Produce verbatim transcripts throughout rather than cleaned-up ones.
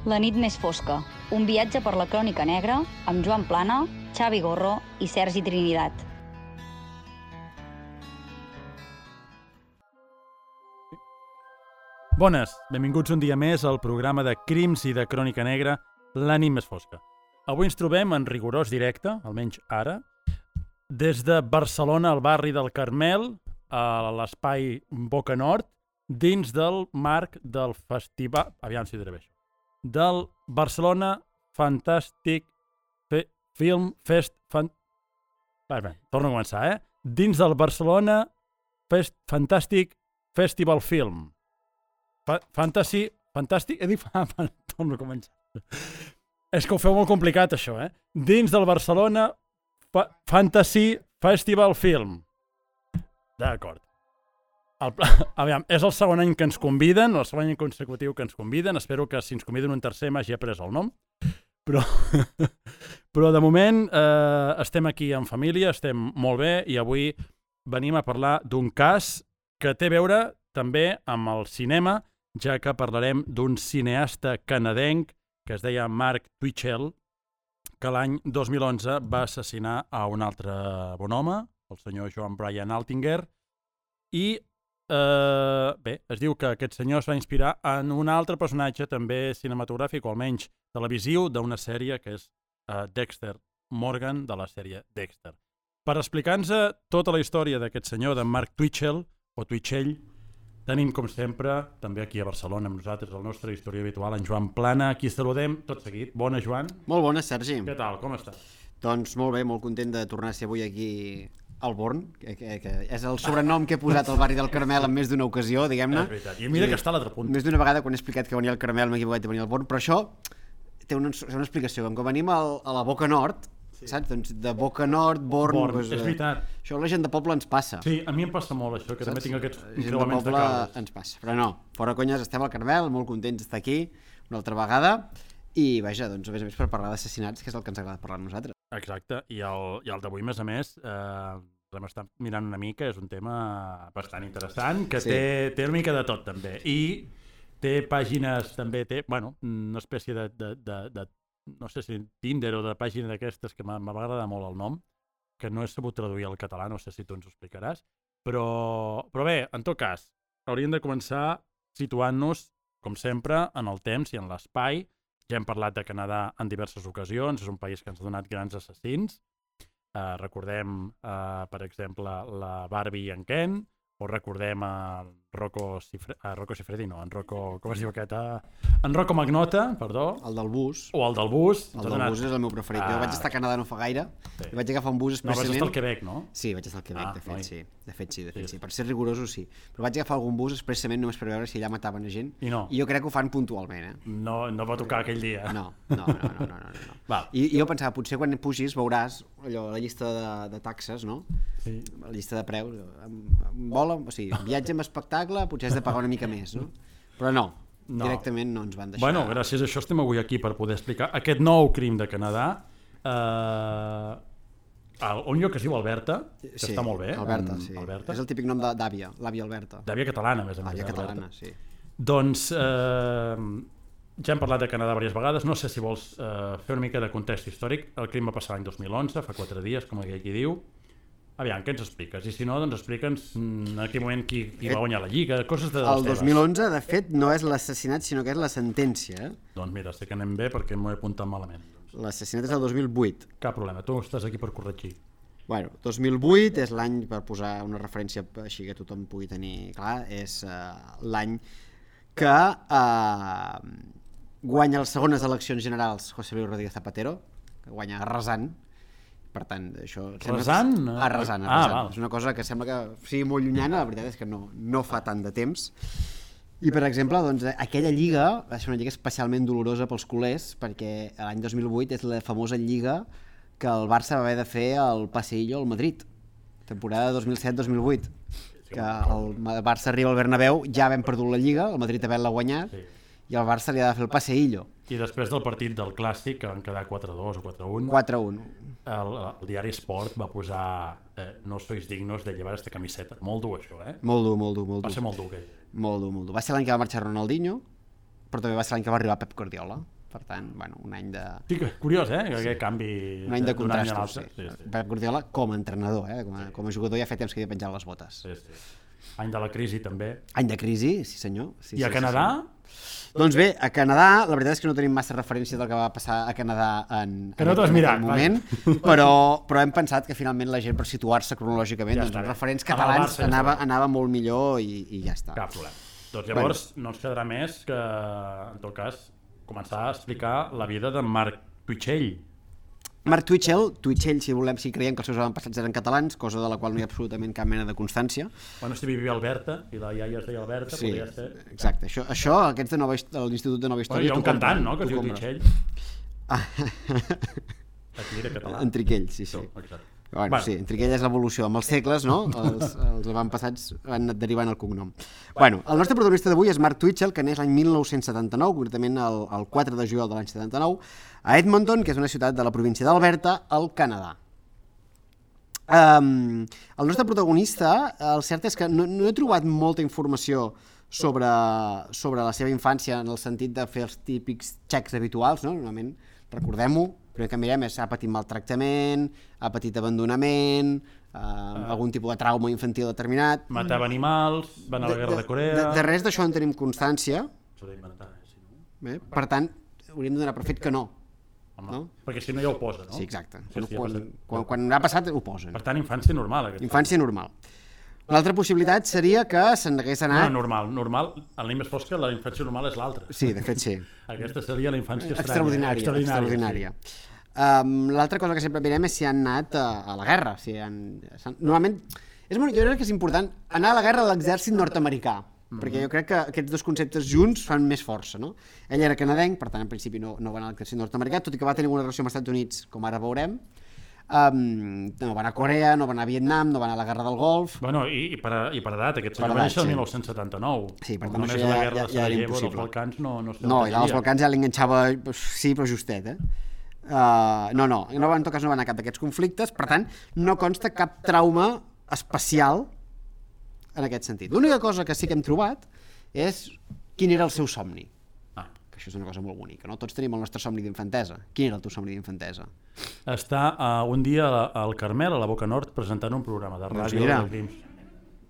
La nit més fosca, un viatge per la crònica negra amb Joan Plana, Xavi Gorro i Sergi Trinidad. Bones, benvinguts un dia més al programa de crims i de crònica negra, La nit més fosca. Avui ens trobem en rigorós directe, almenys ara, des de Barcelona, al barri del Carmel, a l'espai Boca Nord, dins del marc del festival... Aviam si diré bé això. Del Barcelona Fantastic Fe Film Fest... Fan... Bé, bé, torno a començar, eh? Dins del Barcelona Fest Fantastic Festival Film. Fa Fantasy... Fantàstic... He dit... Torno a començar. És que ho feu molt complicat, això, eh? Dins del Barcelona Fa Fantasy Festival Film. D'acord. El, aviam, és el segon any que ens conviden, el segon any consecutiu que ens conviden. Espero que si ens conviden un tercer m'hagi après el nom. Però, però de moment eh, estem aquí en família, estem molt bé i avui venim a parlar d'un cas que té a veure també amb el cinema, ja que parlarem d'un cineasta canadenc que es deia Mark Twitchell, que l'any dos mil onze va assassinar a un altre bon home, el senyor Joan Brian Altinger, i eh, bé, es diu que aquest senyor es va inspirar en un altre personatge també cinematogràfic, o almenys televisiu, d'una sèrie que és eh, Dexter Morgan, de la sèrie Dexter. Per explicar-nos tota la història d'aquest senyor, de Mark Twitchell, o Twitchell, tenim, com sempre, també aquí a Barcelona amb nosaltres, el nostre historiador habitual, en Joan Plana, aquí saludem tot seguit. Bona, Joan. Molt bona, Sergi. Què tal, com estàs? Doncs molt bé, molt content de tornar a ser avui aquí al Born, que, que, que és el sobrenom que he posat al barri del Carmel en més d'una ocasió, diguem-ne. És veritat, i mira I, que està a l'altre punt. Més d'una vegada quan he explicat que venia al Carmel m'he equivocat de venir al Born, però això té una, una explicació. Com que venim al, a la Boca Nord, sí. Saps? Doncs de Boca Nord, Born... Born, doncs, és veritat. Això a la gent de poble ens passa. Sí, a mi em passa molt això, que saps? També tinc aquests creuaments de, de cables. Ens passa, però no, fora conyes, estem al Carmel, molt contents d'estar aquí una altra vegada i vaja, doncs a més a més per parlar d'assassinats, que és el que ens agrada parlar a nosaltres. Exacte, i el, i el d'avui, a més a més, eh, hem estat mirant una mica, és un tema bastant interessant, que sí. té, té una mica de tot també, i té pàgines també, té, bueno, una espècie de, de, de, de no sé si Tinder o de pàgina d'aquestes que m'ha agradat molt el nom, que no he sabut traduir al català, no sé si tu ens ho explicaràs, però, però bé, en tot cas, hauríem de començar situant-nos, com sempre, en el temps i en l'espai. Ja hem parlat de Canadà en diverses ocasions, és un país que ens ha donat grans assassins. Eh, recordem, eh, per exemple, la Barbie i en Ken, o recordem a Rocco Siffredi, a Rocco Siffredi, no, en Rocco, com es diu aquest? En Rocco Magnota, perdó. El del bus. O el del bus. El del donat... bus és el meu preferit. Ah, jo vaig estar a Canadà no fa gaire, sí. I vaig agafar un bus expressament... No, vaig estar al Quebec, no? Sí, vaig estar al Quebec, ah, de fet, oi. sí. De fet, sí, de fet, sí. sí. Per ser rigorosos, sí. Però vaig agafar algun bus expressament només per veure si allà mataven a gent. I no. I jo crec que ho fan puntualment, eh? No, no va tocar aquell dia. No, no, no, no, no, no, no. Va. I, I jo pensava, potser quan pugis veuràs allò, la llista de, de taxes, no? Sí. La llista de preus. Vol, o sigui, viatge amb espectacle, potser has de pagar una mica més, no? Però no, no, directament no ens van deixar... Bueno, gràcies a això estem avui aquí per poder explicar aquest nou crim de Canadà, eh, a un lloc que es diu Alberta, que sí, està molt bé. Alberta, sí. Alberta. És el típic nom d'àvia, l'àvia Alberta. D'àvia catalana, més a més. Àvia catalana, sí. Doncs eh, ja hem parlat de Canadà diverses vegades, no sé si vols eh, fer una mica de context històric. El crim va passar l'any dos mil onze, fa quatre dies, com aquell qui diu. Aviam, què ens expliques? I si no, doncs explica'ns en aquell moment qui, qui va guanyar la Lliga, coses de... El dos mil onze, de fet, no és l'assassinat, sinó que és la sentència. Eh? Doncs mira, sé que anem bé perquè m'ho he apuntat malament. L'assassinat és el dos mil vuit. Cap problema, tu estàs aquí per corregir. Bueno, dos mil vuit és l'any, per posar una referència així que tothom pugui tenir clar, és uh, l'any que uh, guanya les segones eleccions generals José Luis Rodríguez Zapatero, que guanya arrasant. Per tant, això... Arrasant? Arrasant, arrasant. Ah, és una cosa que sembla que sigui molt llunyana, la veritat és que no, no fa tant de temps. I, per exemple, doncs, aquella lliga va ser una lliga especialment dolorosa pels culers, perquè l'any dos mil vuit és la famosa lliga que el Barça va haver de fer al Paseillo al Madrid, temporada dos mil set dos mil vuit, que el Barça arriba al Bernabéu, ja havent perdut la lliga, el Madrid havent-la guanyat, sí. I el Barça li ha de fer el Paseillo. I després del partit del Clàssic, que van quedar quatre a dos o quatre a un, quatre a un. El, el diari Sport va posar eh, no sois dignos de llevar esta camiseta. Molt dur, això, eh? Molt dur, molt dur, molt dur. Va ser molt dur, aquell. Molt dur, molt dur. Va ser l'any que va marxar Ronaldinho, però també va ser l'any que va arribar Pep Guardiola. Per tant, bueno, un any de... Sí, curiós, eh? Aquest canvi un any de contrastos, sí. sí. sí. Pep Guardiola com a entrenador, eh? Com a, sí. com a jugador ja fa temps que havia penjat les botes. Sí, sí. Any de la crisi, també. Any de crisi, sí senyor. Sí, I a sí, Canadà? Sí, sí. Doncs bé, a Canadà, la veritat és que no tenim massa referència del que va passar a Canadà en, que no en, en aquell moment, però, però hem pensat que finalment la gent, per situar-se cronològicament, ja doncs, els referents catalans Barça, anava, ja anava molt millor i, i ja està. Cap problema. Doncs llavors bueno. no ens quedarà més que, en tot cas, començar a explicar la vida de Marc Twitchell. Marc Twitchell, Twitchell, si volem, si creiem que els seus avantpassats eren catalans, cosa de la qual no hi ha absolutament cap mena de constància. Bueno, si vivia a Alberta, i la iaia es deia Alberta, sí, podria ser... Exacte, això, això aquests de, nova, de l'Institut de Nova Història... Bueno, hi ha un cantant, no?, que es diu Twitchell. Ah. Aquí era català. Enriquell, sí, sí. Exacte. Bueno, bueno. Sí, Enriquell és l'evolució. Amb els segles, no?, els, els avantpassats han anat derivant el cognom. Bueno, el nostre protagonista d'avui és Marc Twitchell, que neix l'any mil nou-cents setanta-nou, concretament el, el quatre de juliol de l'any setanta-nou, a Edmonton, que és una ciutat de la província d'Alberta, al Canadà. Um, el nostre protagonista, el cert és que no, no he trobat molta informació sobre, sobre la seva infància en el sentit de fer els típics xecs habituals, no? Normalment, recordem-ho, el primer que mirem és ha patit maltractament, ha patit abandonament, eh, ah. algun tipus de trauma infantil determinat. Matava animals, va anar a la guerra de, de Corea... De, de res d'això en tenim constància. S'ho ha d'inventar, eh, si no... Bé, per tant, hauríem de donar per fet que no. Home, no? Perquè si no ja ho posa, no? Sí, exacte. Sí, sí, quan, passat... quan, quan ha passat ho posen. Per tant, infància normal. Infància normal. L'altra possibilitat seria que se'n hagués anat... No, normal, normal. En la més fosca, la infància normal és l'altra. Sí, de fet sí. Aquesta seria la infància estranya. Extraordinària. Extraordinària. Sí. Um, L'altra cosa que sempre mirem és si han anat a, a la guerra. Si han, normalment, és molt, jo crec que és important anar a la guerra a l'exèrcit nord-americà, mm-hmm. perquè jo crec que aquests dos conceptes junts fan més força, no? Ell era canadenc, per tant, en principi no, no va anar a l'exèrcit nord-americà, tot i que va tenir una relació amb els Estats Units, com ara veurem. Um, no va anar a Corea, no va anar a Vietnam, no va anar a la guerra del Golf. Bueno, i, i, per, i per edat, aquest senyor va néixer el sí. mil nou-cents setanta-nou. Sí, per tant, només això ja, la guerra ja, ja era impossible. dels Balcans no, no, no i als Balcans ja l'enganxava, sí, però justet, eh? Uh, no, no, no, en tot cas no va anar a cap d'aquests conflictes, per tant, no consta cap trauma especial en aquest sentit. L'única cosa que sí que hem trobat és quin era el seu somni. Ah. Que això és una cosa molt bonica, no? Tots tenim el nostre somni d'infantesa. Quin era el teu somni d'infantesa? Està uh, un dia al Carmel, a la Boca Nord, presentant un programa de ràdio de crims.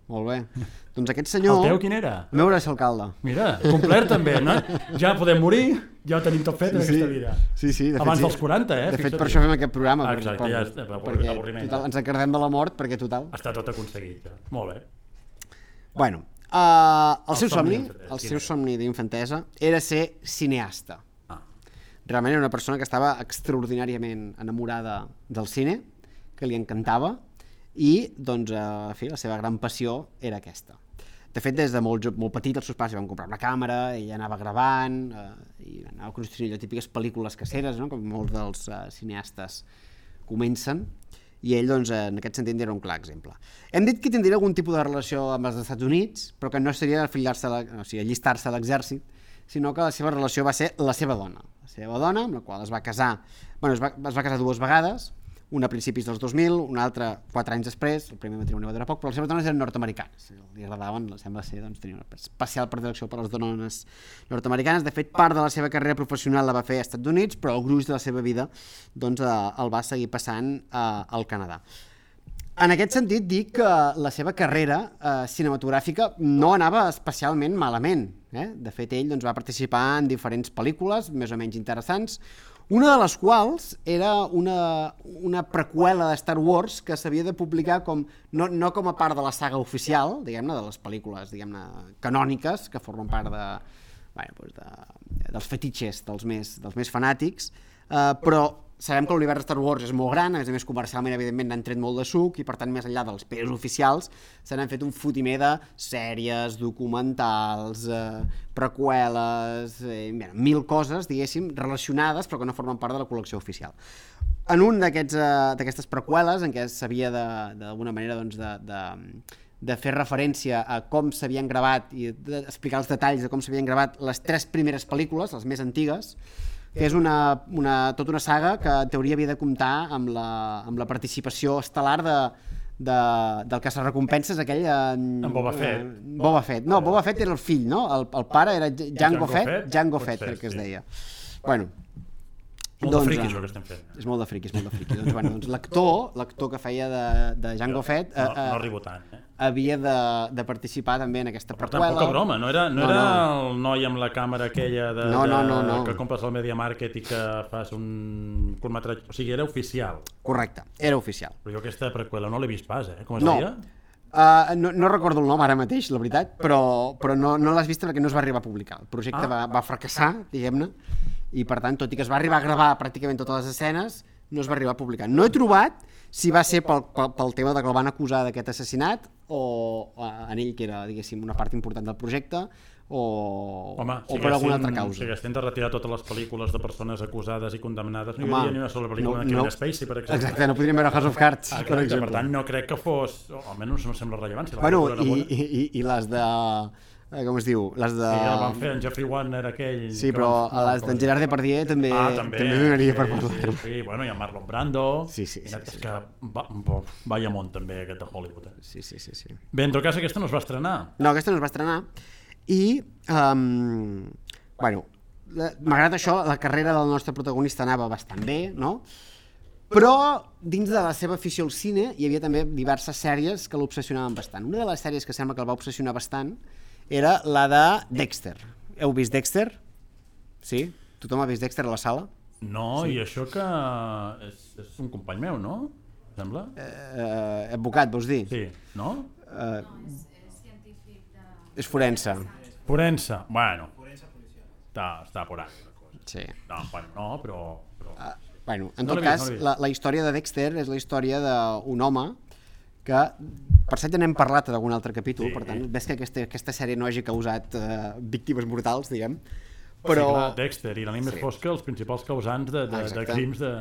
Molt bé. Doncs aquest senyor... El teu quin era? El meu era ser alcalde. Mira, complet també, no? Ja podem morir, ja ho tenim tot fet sí, en aquesta vida. Sí, sí. De Abans fet, dels quaranta, eh? De fet, per això fem aquest programa. Ah, exacte, per, ja és, per, perquè total, ens encardem de la mort, perquè total... Està tot aconseguit, ja. Molt bé. Bueno, uh, el, el seu somni, el seu somni d'infantesa era ser cineasta. Ah. Realment era una persona que estava extraordinàriament enamorada del cine, que li encantava, i doncs, a fi, la seva gran passió era aquesta. De fet, des de molt, molt petit els seus pares li van comprar una càmera, ella anava gravant eh, i anava construint allò típiques pel·lícules caseres, no? Com molts dels eh, cineastes comencen, i ell doncs, en aquest sentit era un clar exemple. Hem dit que tindria algun tipus de relació amb els Estats Units, però que no seria afiliar-se a la, o sigui, allistar-se a l'exèrcit, sinó que la seva relació va ser la seva dona. La seva dona, amb la qual es va casar, bueno, es va, es va casar dues vegades, una a principis dels dos mil, una altra quatre anys després, el primer matrimoni va durar poc, però les seves dones eren nord-americanes, li agradaven, sembla ser, doncs tenia una especial predilecció per a les dones nord-americanes. De fet, part de la seva carrera professional la va fer als Estats Units, però el gruix de la seva vida doncs, eh, el va seguir passant eh, al Canadà. En aquest sentit, dic que la seva carrera eh, cinematogràfica no anava especialment malament. Eh? De fet, ell doncs, va participar en diferents pel·lícules, més o menys interessants, una de les quals era una, una preqüela de Star Wars que s'havia de publicar com, no, no com a part de la saga oficial, diguem-ne, de les pel·lícules diguem-ne canòniques, que formen part de, bueno, doncs de, dels fetitxes dels més, dels més fanàtics, eh, però sabem que l'univers de Star Wars és molt gran, a més a més comercialment evidentment n'han tret molt de suc i per tant més enllà dels pesos oficials se n'han fet un fotimer de sèries, documentals, eh, preqüeles, eh, mil coses diguéssim relacionades però que no formen part de la col·lecció oficial. En un d'aquestes eh, preqüeles en què s'havia d'alguna manera doncs, de, de, de fer referència a com s'havien gravat i d'explicar els detalls de com s'havien gravat les tres primeres pel·lícules, les més antigues, que és una, una, tota una saga que en teoria havia de comptar amb la, amb la participació estel·lar de, de, del caça-recompenses aquell... En, en Boba Fett. En Boba Fett. No, Boba Fett era el fill, no? El, el pare era Jango, Jango Fett, Fett, Jango Fett, crec que es deia. Bueno, molt doncs, de friqui, això que estem fent. És molt de friqui, és molt de friqui. doncs, bueno, doncs l'actor, l'actor que feia de, de Jango Fett... No, no arribo tant, eh? Havia de, de participar també en aquesta preqüela. Però tampoc a broma, no era, no, no era no. el noi amb la càmera aquella de, no, no, no, no. de, que compres al Media Market i que fas un curtmetratge... O sigui, era oficial. Correcte, era oficial. Però jo aquesta preqüela no l'he vist pas, eh? Com es no. deia? Uh, no, no recordo el nom ara mateix, la veritat, però, però no, no l'has vist perquè no es va arribar a publicar. El projecte ah. va, va fracassar, diguem-ne, i per tant, tot i que es va arribar a gravar pràcticament totes les escenes, no es va arribar a publicar. No he trobat si va ser pel, pel, pel tema de que el van acusar d'aquest assassinat o en ell, que era, diguéssim, una part important del projecte, o, Home, o per alguna altra causa. Si haguessin de retirar totes les pel·lícules de persones acusades i condemnades, no hi hauria ni una sola pel·lícula no, de Kevin no, Spacey, per exemple. Exacte, no podríem veure House of Cards, ah, per exemple. Per tant, no crec que fos, o almenys no sembla rellevant. Si bueno, i, i, i, i les de... com es diu? Les de... Sí, el van fer en Jeffrey Warner, aquell... Sí, però van... les d'en Gerard Depardieu també, ah, també, també donaria sí, per parlar. Sí, sí, bueno, i en Marlon Brando. Sí, sí, sí. És sí. que va, vaya món també, aquest de Hollywood. Eh? Sí, sí, sí, sí. Bé, en tot cas, aquesta no es va estrenar. No, aquesta no es va estrenar. I, um, bueno, malgrat això, la carrera del nostre protagonista anava bastant bé, no? Però dins de la seva afició al cine hi havia també diverses sèries que l'obsessionaven bastant. Una de les sèries que sembla que el va obsessionar bastant era la de Dexter. Heu vist Dexter? Sí? Tothom ha vist Dexter a la sala? No, sí. I això que és, és un company meu, no? Sembla? Eh, advocat, vols dir? Sí, no? Eh, és forense. Forense, bueno. Està, està por ahí. Sí. No, bueno, no, però... però... Uh, bueno, en no tot vist, cas, no la, la història de Dexter és la història d'un home que, per cert, ja n'hem parlat en algun altre capítol, sí. Per tant, ves que aquesta, aquesta sèrie no hagi causat uh, víctimes mortals, diguem, però... Sí, clar, Dexter i la nit més sí. fosca, els principals causants de, de, de crims de...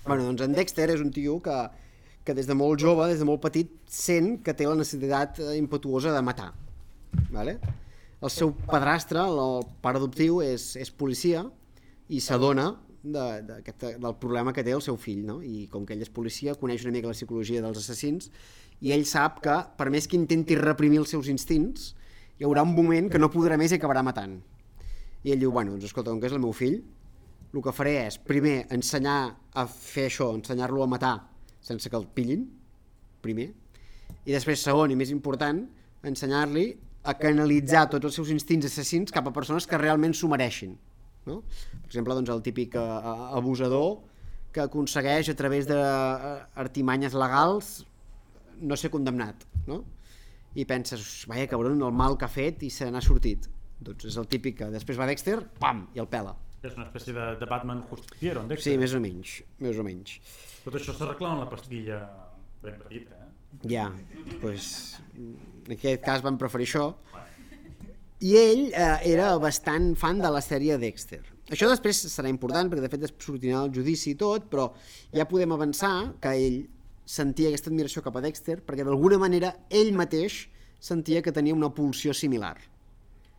Bueno, doncs en Dexter és un tio que, que des de molt jove, des de molt petit, sent que té la necessitat impetuosa de matar, vale? El seu padrastre, el pare adoptiu, és, és policia i s'adona de, de, de, del problema que té el seu fill, no? I com que ell és policia, coneix una mica la psicologia dels assassins i ell sap que, per més que intenti reprimir els seus instints, hi haurà un moment que no podrà més i acabarà matant. I ell diu, bueno, doncs escolta, com que és el meu fill, el que faré és, primer, ensenyar a fer això, ensenyar-lo a matar sense que el pillin, primer, i després, segon i més important, ensenyar-li a canalitzar tots els seus instints assassins cap a persones que realment s'ho mereixin. No? Per exemple, doncs, el típic uh, abusador que aconsegueix a través d'artimanyes legals no ser condemnat, no? I penses, vaja cabron, el mal que ha fet i se n'ha sortit. Doncs és el típic que després va Dexter, pam, i el pela. És una espècie de, de Batman justiciero, en Dexter. Sí, més o menys, més o menys. Tot això s'arregla en la pastilla ben petita, eh? Ja, doncs en aquest cas van preferir això. I ell eh, era bastant fan de la sèrie Dexter. Això després serà important perquè de fet es sortirà el judici i tot, però ja podem avançar que ell sentia aquesta admiració cap a Dexter perquè d'alguna manera ell mateix sentia que tenia una pulsió similar.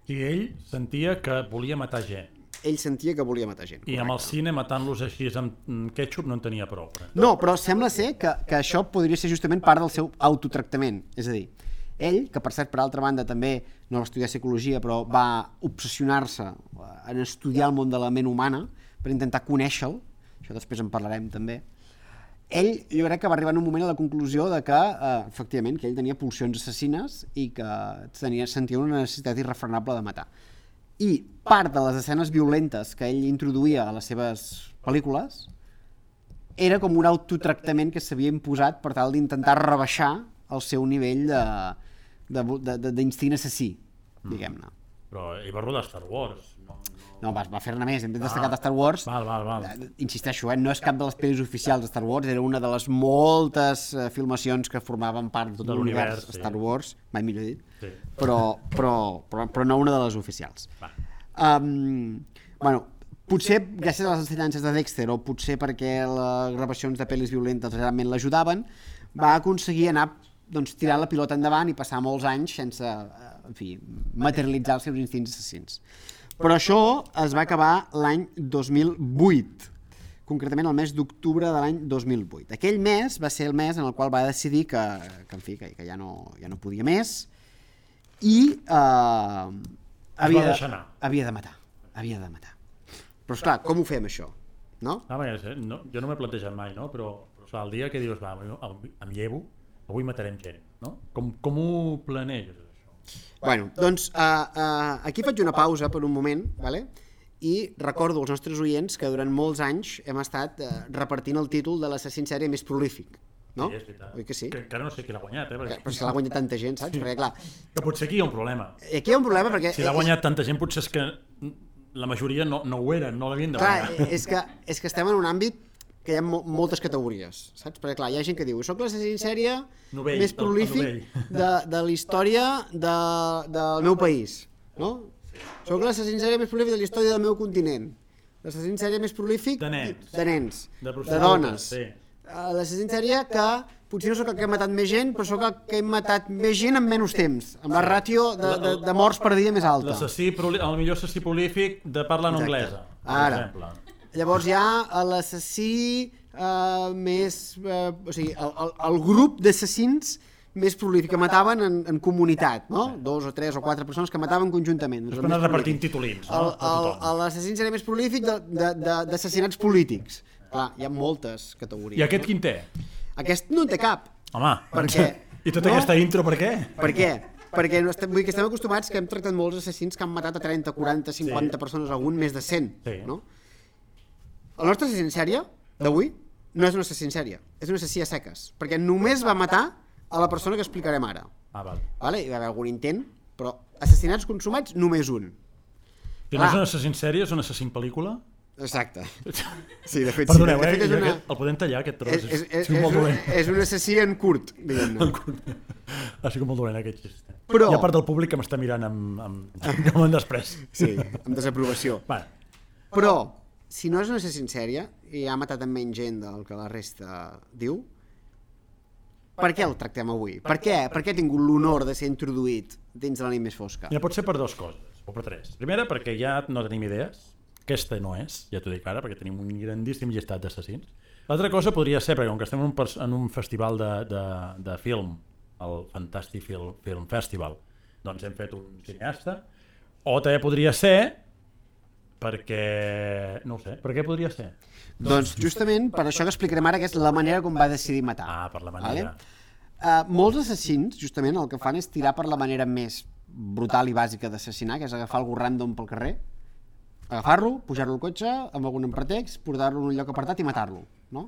I ell sentia que volia matar gent. Ell sentia que volia matar gent. I amb el cine, matant-los així amb ketchup, no en tenia prou. No, però sembla ser que, que això podria ser justament part del seu autotractament. És a dir, ell, que per cert, per altra banda, també no va estudiar psicologia, però va obsessionar-se en estudiar el món de la ment humana per intentar conèixer-lo, això després en parlarem també, ell, jo crec que va arribar en un moment a la conclusió de que, eh, efectivament, que ell tenia pulsions assassines i que tenia, sentia una necessitat irrefrenable de matar. I part de les escenes violentes que ell introduïa a les seves pel·lícules era com un autotractament que s'havia imposat per tal d'intentar rebaixar el seu nivell d'instint assassí, diguem-ne. Però ell va rodar Star Wars. No, no va, va fer-ne més, hem destacat ah, Star Wars. Val, val, val. Insisteixo, eh, no és cap de les pel·lis oficials de Star Wars, era una de les moltes uh, filmacions que formaven part de tot l'univers sí. Star Wars, mai millor dit, sí. però, però, però, però no una de les oficials. Um, bueno, potser gràcies a les ensenyances de Dexter o potser perquè les gravacions de pel·lis violentes realment l'ajudaven, va aconseguir anar doncs, tirant la pilota endavant i passar molts anys sense en fi, materialitzar els seus instints assassins. Però això es va acabar l'any dos mil vuit, concretament el mes d'octubre de l'any dos mil vuit. Aquell mes va ser el mes en el qual va decidir que, que, en fi, que, que ja, no, ja no podia més i eh, havia, de, havia de matar. Havia de matar. Però, esclar, com ho fem, això? No? Ah, bé, no, jo no m'he plantejat mai, no? Però, però esclar, el dia que dius, va, em llevo, avui matarem gent, no? Com, com ho planeges, això? Bueno, doncs uh, uh, aquí faig una pausa per un moment, vale? I recordo als nostres oients que durant molts anys hem estat uh, repartint el títol de l'assassí en sèrie més prolífic, no? Sí, és veritat. Oi que sí? Que encara no sé qui l'ha guanyat, eh? Perquè... Però si l'ha guanyat tanta gent, saps? Sí. Perquè, clar... Que potser aquí hi ha un problema. Aquí hi ha un problema perquè... Si l'ha guanyat tanta gent, potser és que la majoria no, no ho eren, no l'havien de guanyar. Clar, és que, és que estem en un àmbit que hi ha mo moltes categories, saps? Perquè, clar, hi ha gent que diu soc l'assassí en sèrie novell, més prolífic de, de la història de, del meu país, no? Soc l'assassí en sèrie més prolífic de la història del meu continent. L'assassí en sèrie més prolífic de nens, de, nens, de, de dones. Sí. L'assassí en sèrie que potser no sóc el que he matat més gent, però sóc el que he matat més gent en menys temps, amb la ràtio de, de, de morts per dia més alta. L'assassí, el millor assassí prolífic de parla en anglesa, per Ara. exemple. Llavors hi ha l'assassí eh, més... Eh, o sigui, el, el, el grup d'assassins més prolífic, que mataven en, en comunitat, no? Dos o tres o quatre persones que mataven conjuntament. Després anar repartint titulins, no? L'assassí seria més prolífic d'assassinats polítics. Clar, hi ha moltes categories. I aquest quin té? Aquest no en té cap. Home, perquè, i tota no? aquesta intro per què? Per què? Perquè no estem, vull dir que estem acostumats que hem tractat molts assassins que han matat a trenta, quaranta, cinquanta sí. persones, algun més de cent. Sí. No? El nostre assassí en sèrie d'avui no és un assassí en sèrie, és un assassí a seques, perquè només va matar a la persona que explicarem ara. Ah, val. Vale? Hi va haver algun intent, però assassinats consumats només un. Si no és un assassí en sèrie, és un assassí en pel·lícula? Exacte. Sí, de fet, Perdoneu, sí. De fet, eh? és una... El podem tallar, aquest tros? És, és, és, és, un, és un assassí en curt, diguem-ne. Ha sigut molt dolent, aquest xist. Però... Hi ha part del públic que m'està mirant amb, amb, amb un després. Sí, amb desaprovació. Vale. Però, si no és un assassí en sèrie, i ha matat amb menys gent del que la resta diu, per què el tractem avui? Per què? Per què ha tingut l'honor de ser introduït dins de la nit més fosca? Mira, pot ser per dues coses, o per tres. Primera, perquè ja no tenim idees. Aquesta no és, ja t'ho dic ara, perquè tenim un grandíssim llistat d'assassins. L'altra cosa podria ser, perquè com que estem en un, en un festival de, de, de film, el Fantastic Film, Film Festival, doncs hem fet un cineasta, o també podria ser perquè... no ho sé, per què podria ser? Doncs justament per això que explicarem ara, que és la manera com va decidir matar. Ah, per la manera. Vale? Uh, molts assassins, justament, el que fan és tirar per la manera més brutal i bàsica d'assassinar, que és agafar algú random pel carrer, agafar-lo, pujar-lo al cotxe amb algun pretext, portar-lo en un lloc apartat i matar-lo, no?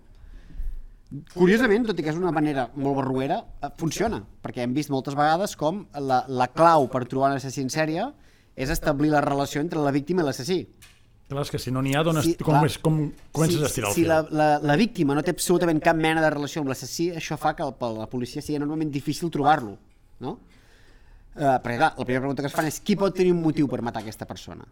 Curiosament, tot i que és una manera molt barruera, funciona, perquè hem vist moltes vegades com la, la clau per trobar un assassí en sèrie és establir la relació entre la víctima i l'assassí. Clar, és que si no n'hi ha, dones, sí, com, és, com comences si, a estirar el si fil. Si la, la, la víctima no té absolutament cap mena de relació amb l'assassí, això fa que el, per la policia sigui enormement difícil trobar-lo, no? Uh, perquè clar, la primera pregunta que es fan és qui pot tenir un motiu per matar aquesta persona?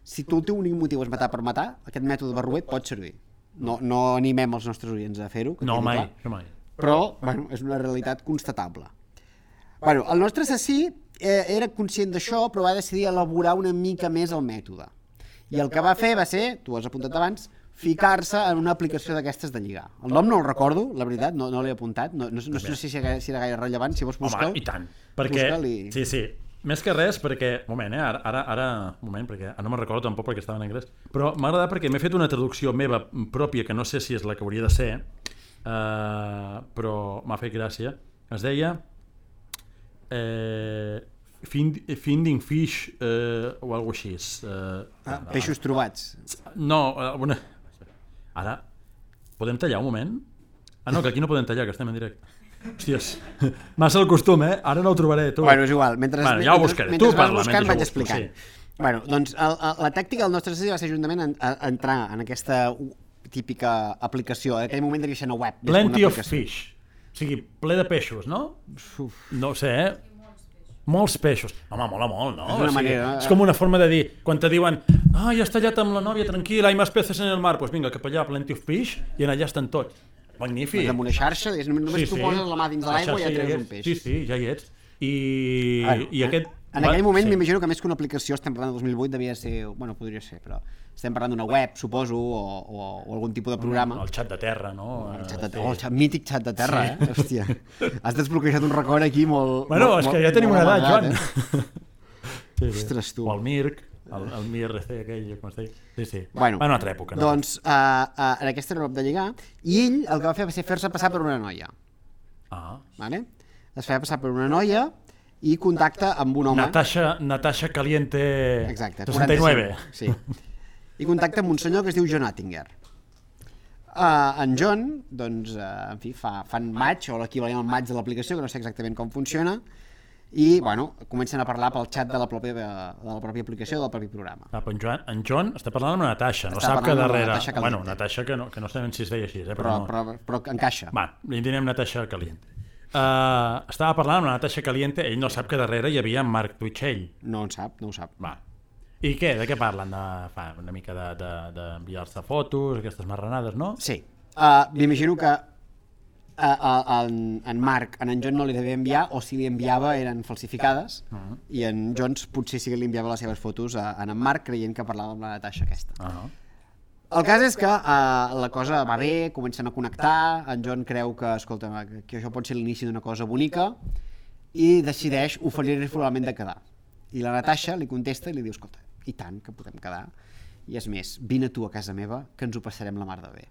Si tu el teu únic motiu és matar per matar, aquest mètode barruet pot servir. No, no animem els nostres oients a fer-ho. No, mai, no mai. Però, bueno, és una realitat constatable. Bueno, el nostre assassí eh, era conscient d'això, però va decidir elaborar una mica més el mètode. I el que va fer va ser, tu has apuntat abans, ficar-se en una aplicació d'aquestes de lligar. El nom no el recordo, la veritat, no, no l'he apuntat, no, no, no, no sé si era, si era gaire rellevant, si vols buscar-ho. Home, i tant, perquè, sí, sí, més que res perquè, moment, eh, ara, ara, ara moment, perquè ara no me'n recordo tampoc perquè estava en anglès, però m'ha agradat perquè m'he fet una traducció meva pròpia, que no sé si és la que hauria de ser, eh, però m'ha fet gràcia, es deia eh, find, Finding Fish eh, o alguna cosa així. Eh, ah, peixos trobats. No, una... ara, podem tallar un moment? Ah no, que aquí no podem tallar, que estem en directe. Hòsties, massa el costum, eh? Ara no ho trobaré, tu. Bueno, és igual. Mentre, bueno, ja ho buscaré. Mentre, tu mentre parla, vas buscant, mentre vaig explicant. Sí. Bueno, doncs el, el, la tàctica del nostre assassí va ser juntament en, a, a entrar en aquesta típica aplicació. En aquell moment devia ser una web. Plenty of fish. O sigui, ple de peixos, no? Uf. No ho sé, eh? Molts peixos. Home, mola molt, no? És una o sigui, manera... És com una forma de dir, quan te diuen ah, ja has tallat amb la nòvia, tranquil, hay más peces en el mar, doncs pues vinga, cap allà, plenty of fish, i allà estan tots. Magnífic. Amb una xarxa, només sí, tu sí. poses la mà dins de l'aigua i ja treus un peix. Sí, sí, ja hi ets. I, ah, i aquest, En aquell moment sí. M'imagino que més que una aplicació, estem parlant de dos mil vuit, devia ser, bueno, podria ser, però estem parlant d'una web, suposo, o, o, o algun tipus de programa. El xat de terra, no? El xat de terra, oh, el xat, mític xat de terra, sí. eh? Hòstia, has desbloquejat un record aquí molt... Bueno, molt, és que ja tenim una edat, Joan. Eh? Sí, sí. Ostres, tu. O el Mirc, el, el M I R C aquell, com es deia. Sí, sí. Bueno, va una altra època. No? Doncs uh, uh, en aquesta era l'op de lligar, i ell el que va fer va ser fer-se passar per una noia. Ah. Vale? Es feia passar per una noia i contacta amb un home... Natasha, Natasha Caliente Exacte, seixanta i nueve. Sí. I contacta amb un senyor que es diu John Attinger. Uh, en John, doncs, uh, en fi, fa, fan match, o l'equivalent al match de l'aplicació, que no sé exactament com funciona, i, bueno, comencen a parlar pel xat de la pròpia, de la pròpia aplicació, del propi programa. Ah, però en Joan, en John està parlant amb una Natasha, no està sap que darrere... Natasha bueno, Natasha que no, que no sabem si es deia així, eh, però, però, no... però, però encaixa. Va, li direm Natasha Caliente. Uh, estava parlant amb la Natasha Caliente, ell no sap que darrere hi havia en Marc Twitchell. No en sap, no ho sap. Va. I què? De què parlen? De, fa, una mica d'enviar-se de, de fotos, aquestes marranades, no? Sí. Uh, M'imagino que uh, uh, en, en Marc, en en John no li devia enviar, o si li enviava eren falsificades, uh -huh. i en Jones potser sí que li enviava les seves fotos a, a en Marc, creient que parlava amb la Natasha aquesta. Uh -huh. El cas és que uh, la cosa va bé, comencen a connectar, en John creu que, escolta, que això pot ser l'inici d'una cosa bonica, i decideix oferir-li formalment de quedar. I la Natasha li contesta i li diu, escolta, i tant que podem quedar, i és més, vine tu a casa meva, que ens ho passarem la mar de bé.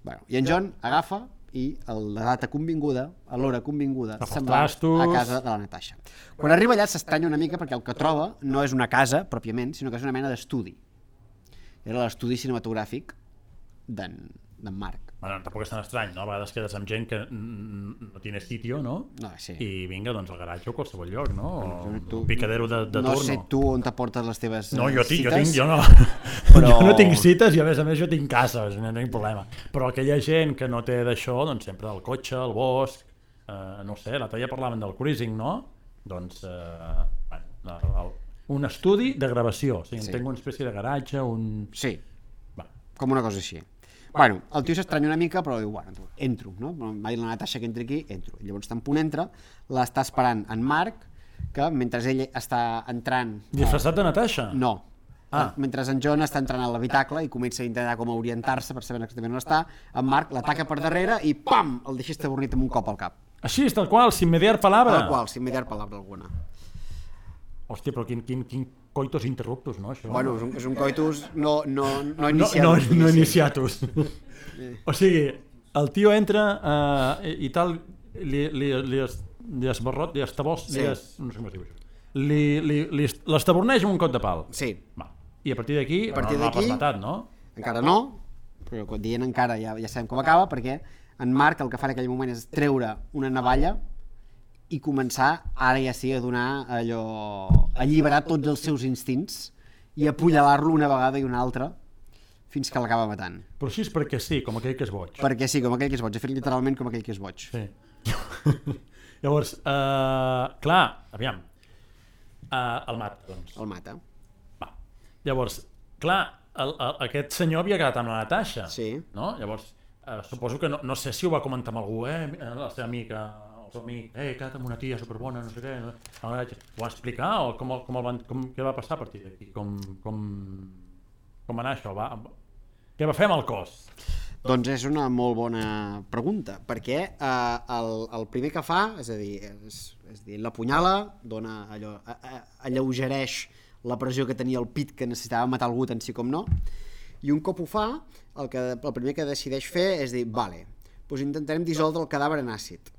Bueno, i en John agafa i a la data convinguda, a l'hora convinguda, se'n va a casa de la Natasha. Quan arriba allà s'estranya una mica perquè el que troba no és una casa, pròpiament, sinó que és una mena d'estudi. Era l'estudi cinematogràfic d'en Marc. Bueno, tampoc és tan estrany, no? A vegades quedes amb gent que no tiene sitio, no? No, sí. I vinga, doncs al garatge o qualsevol lloc, no? O tu, un picadero de, de no turno. No sé tu on t'aportes les teves no, jo tinc, cites. Jo tinc, jo no. Però... jo no tinc cites i a més a més jo tinc cases, no tinc problema. Però aquella gent que no té d'això, doncs sempre el cotxe, el bosc, eh, no sé, l'altre dia parlaven del cruising, no? Doncs, eh, bueno, el, el, un estudi de gravació, o sigui, sí. Tenc una espècie de garatge, un... Sí, va. Com una cosa així. Bueno, el tio s'estranya una mica, però diu, bueno, entro, no? Va dir la Natasha que entri aquí, entro. I llavors tan punt entra, l'està esperant en Marc, que mentre ell està entrant... Disfressat de Natasha? No. Ah. Mentre en John està entrant a l'habitacle i comença a intentar com orientar-se per saber exactament on està, en Marc l'ataca per darrere i pam! El deixa estabornit amb un cop al cap. Així, tal qual, sin mediar palabra. Tal qual, sin mediar palabra alguna. Hòstia, però quin, quin, quin coitus interruptus, no, això? Bueno, és un, és un coitus no, no, no iniciatus. No, no, no iniciatus. O sigui, el tio entra uh, i, i tal, li, li, li, es, li esbarrot, li estabós, sí. li es, no sé com es diu això. Li, li, li, l'estaborneix amb un cop de pal. Sí. Va. I a partir d'aquí, no l'ha pas matat, no? Encara no, però quan dient encara ja, ja sabem com acaba, perquè en Marc el que fa en aquell moment és treure una navalla i començar, ara ja sí, a donar allò... a alliberar tots els seus instints i apunyalar-lo una vegada i una altra fins que l'acaba matant. Però així és perquè sí, com aquell que és boig. Perquè sí, com aquell que és boig. Ha fet literalment com aquell que és boig. Sí. Llavors, uh, clar, aviam, uh, el mata, doncs. El mata. Va. Llavors, clar, el, el, aquest senyor havia quedat amb la Natasha. Sí. No? Llavors, uh, suposo que no, no sé si ho va comentar amb algú, eh, la seva amiga... el seu amic, eh, he quedat amb una tia superbona, no sé què, no? Ho va explicar o com, com el van, com, què va passar a partir d'aquí? Com, com, com va anar això? Va, què va fer amb el cos? Doncs és una molt bona pregunta, perquè eh, el, el primer que fa, és a dir, és, és a dir, l'apunyala, dona allò, a, a, alleugereix la pressió que tenia el pit que necessitava matar algú tant sí com no, i un cop ho fa, el, que, el primer que decideix fer és dir, vale, doncs intentarem dissoldre el cadàver en àcid.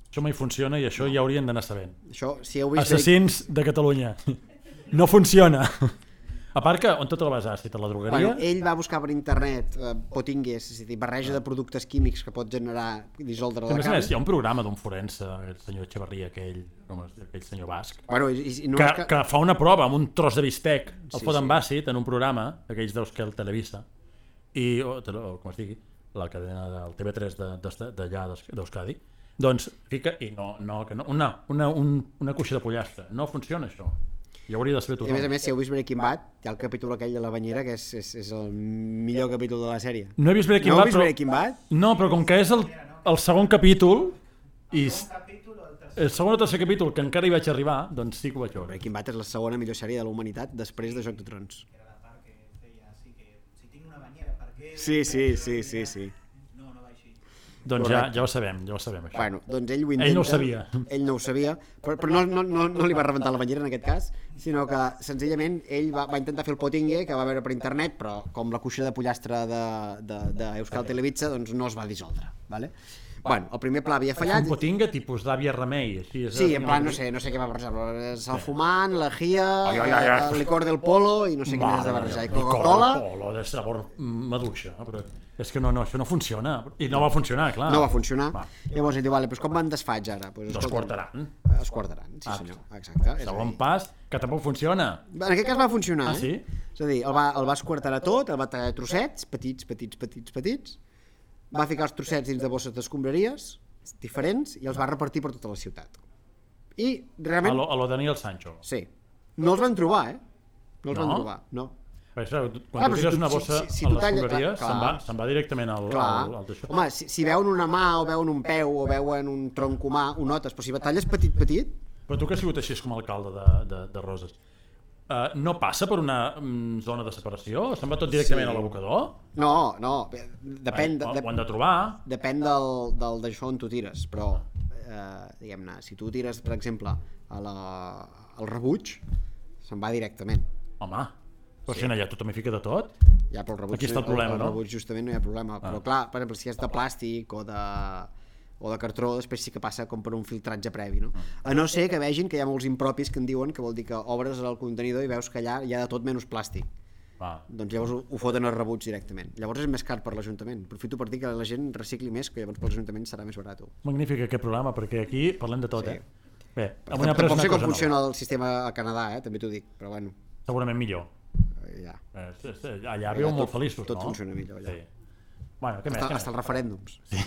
Això mai funciona i això no. Ja haurien d'anar sabent. Això, si heu vist Assassins de Catalunya. No funciona. A part que, on tot el vas àcid? A la drogueria? Bueno, ell va buscar per internet eh, potingues, és a dir, barreja de productes químics que pot generar i dissoldre la carn. carn. Més, hi ha un programa d'un forense, el senyor Echeverria, aquell, com es, aquell senyor basc, bueno, i, i no que, que... que fa una prova amb un tros de bistec, el sí, fot amb sí. àcid en un programa, aquells deus que el Televisa, i, o, o com es digui, la cadena del T V tres d'allà d'Euskadi, doncs fica, i no, no, que no, una, una, un, una cuixa de pollastre, no funciona això, i hauria de saber tothom. I a més a més, si heu vist Breaking Bad, hi ha el capítol aquell de la banyera que és, és, és el millor capítol de la sèrie. No he vist Breaking no Bad, vist però... Breaking Bad? No, però com que és el, el segon capítol, i... El capítol o el tercer el segon o tercer capítol, que encara hi vaig arribar, doncs sí que ho vaig veure. Breaking Bad és la segona millor sèrie de la humanitat després de Joc de Trons. Era la part que feia així que si tinc una banyera, per què... Sí, sí, sí, sí, sí. No, no va així. Doncs ja, ja ho sabem, ja ho sabem, això. Bueno, doncs ell ho intenta... Ell no ho sabia. Ell no ho sabia, però, però no, no, no, no li va rebentar la banyera en aquest cas, sinó que senzillament ell va, va intentar fer el potingue que va veure per internet, però com la cuixa de pollastre d'Euskal Televisa, doncs no es va dissoldre, vale? Bueno, el primer pla havia fallat... Un potinga tipus d'àvia remei, així. És Sí, en plan, no sé, no sé què va barrejar, el fumant, la gia, el licor del polo i no sé què més de barrejar, i Coca-Cola... El polo de sabor maduixa, però és que no, no, això no funciona, i no va funcionar, clar. No va funcionar, Va. llavors ell diu, vale, doncs com me'n desfaig ara? Pues, Dos quartaran. Es quartaran, sí senyor, exacte. És a Segon dir, pas, que tampoc funciona. En aquest cas va funcionar, Ah, sí? eh? És a dir, el va, el va esquarterar tot, el va tallar a trossets, petits, petits, petits, petits, va ficar els trossets dins de bosses d'escombraries diferents i els va repartir per tota la ciutat. I A realment... lo, a lo Daniel Sancho. Sí. No els van trobar, eh? No els No? van trobar, no. Perquè, quan Ah, tu però si tires tu- una si- bossa si- si a tu les talles- escombraries, clar, se'n va, clar. se'n va directament al, Clar. al, al d'això. Home, si, si veuen una mà o veuen un peu o veuen un tronc humà, ho notes, però si batalles petit, petit, Però tu que has sigut així com a alcalde de, de, de Roses, uh, no passa per una mm, zona de separació? Se'n va tot directament Sí. a l'abocador? no, no, depèn, de, Ho, de, ho han de trobar. depèn del, del d'això on tu tires, però eh, diguem-ne, si tu tires, per exemple, a la, al rebuig, se'n va directament. Home, però si allà tothom hi fica de tot. Ja, però el rebuig, Aquí està el problema, el, no? el rebuig justament no hi ha problema, però clar, per exemple, si és de plàstic o de, o de cartró, després sí que passa com per un filtratge previ, no? A no ser que vegin que hi ha molts impropis que en diuen, que vol dir que obres el contenidor i veus que allà hi ha de tot menys plàstic. Va. Doncs llavors ho, ho foten al rebuig directament. Llavors és més car per l'Ajuntament. Aprofito per dir que la gent recicli més, que llavors per l'Ajuntament serà més barat. Magnífic aquest programa, perquè aquí parlem de tot, Sí. eh? Bé, Però avui hem après tampoc una sé com cosa funciona nova. el sistema a Canadà, eh? També t'ho dic, però bueno, Segurament millor. eh, ja. Eh, sí, sí, allà Allà viu molt tot- feliços, tot no? funciona millor, allà. Sí. Bueno, què més? Hasta, Què hasta els més? referèndums. Sí.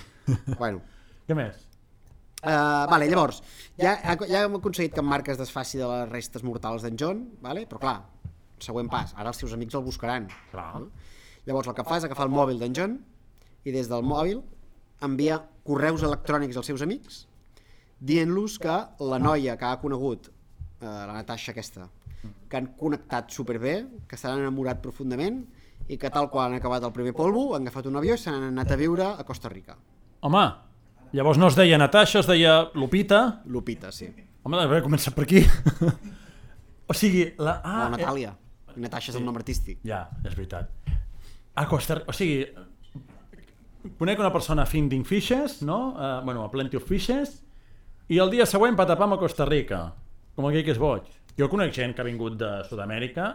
Bueno, Què més? Uh, vale, llavors, ja, ja hem aconseguit que en Marc es desfaci de les restes mortals d'en John, vale? Però clar, següent pas, ara els seus amics el buscaran. Clar. No? Llavors el que fa és agafar el mòbil d'en John i des del mòbil envia correus electrònics als seus amics dient-los que la noia que ha conegut, eh, la Natasha aquesta, que han connectat superbé, que s'han enamorat profundament i que tal qual han acabat el primer polvo, han agafat un avió i s'han anat a viure a Costa Rica. Home, llavors no es deia Natasha, es deia Lupita. Lupita, sí. Home, a veure, comença per aquí. O sigui, la... Ah, O Natàlia. Natasha és el nom artístic. Ja, és veritat. A Costa Rica, o sigui, conec una persona finding fishes, no? Uh, bueno, a Plenty of Fishes, i el dia següent patapam a Costa Rica, com aquell que és boig. Jo conec gent que ha vingut de Sud-amèrica,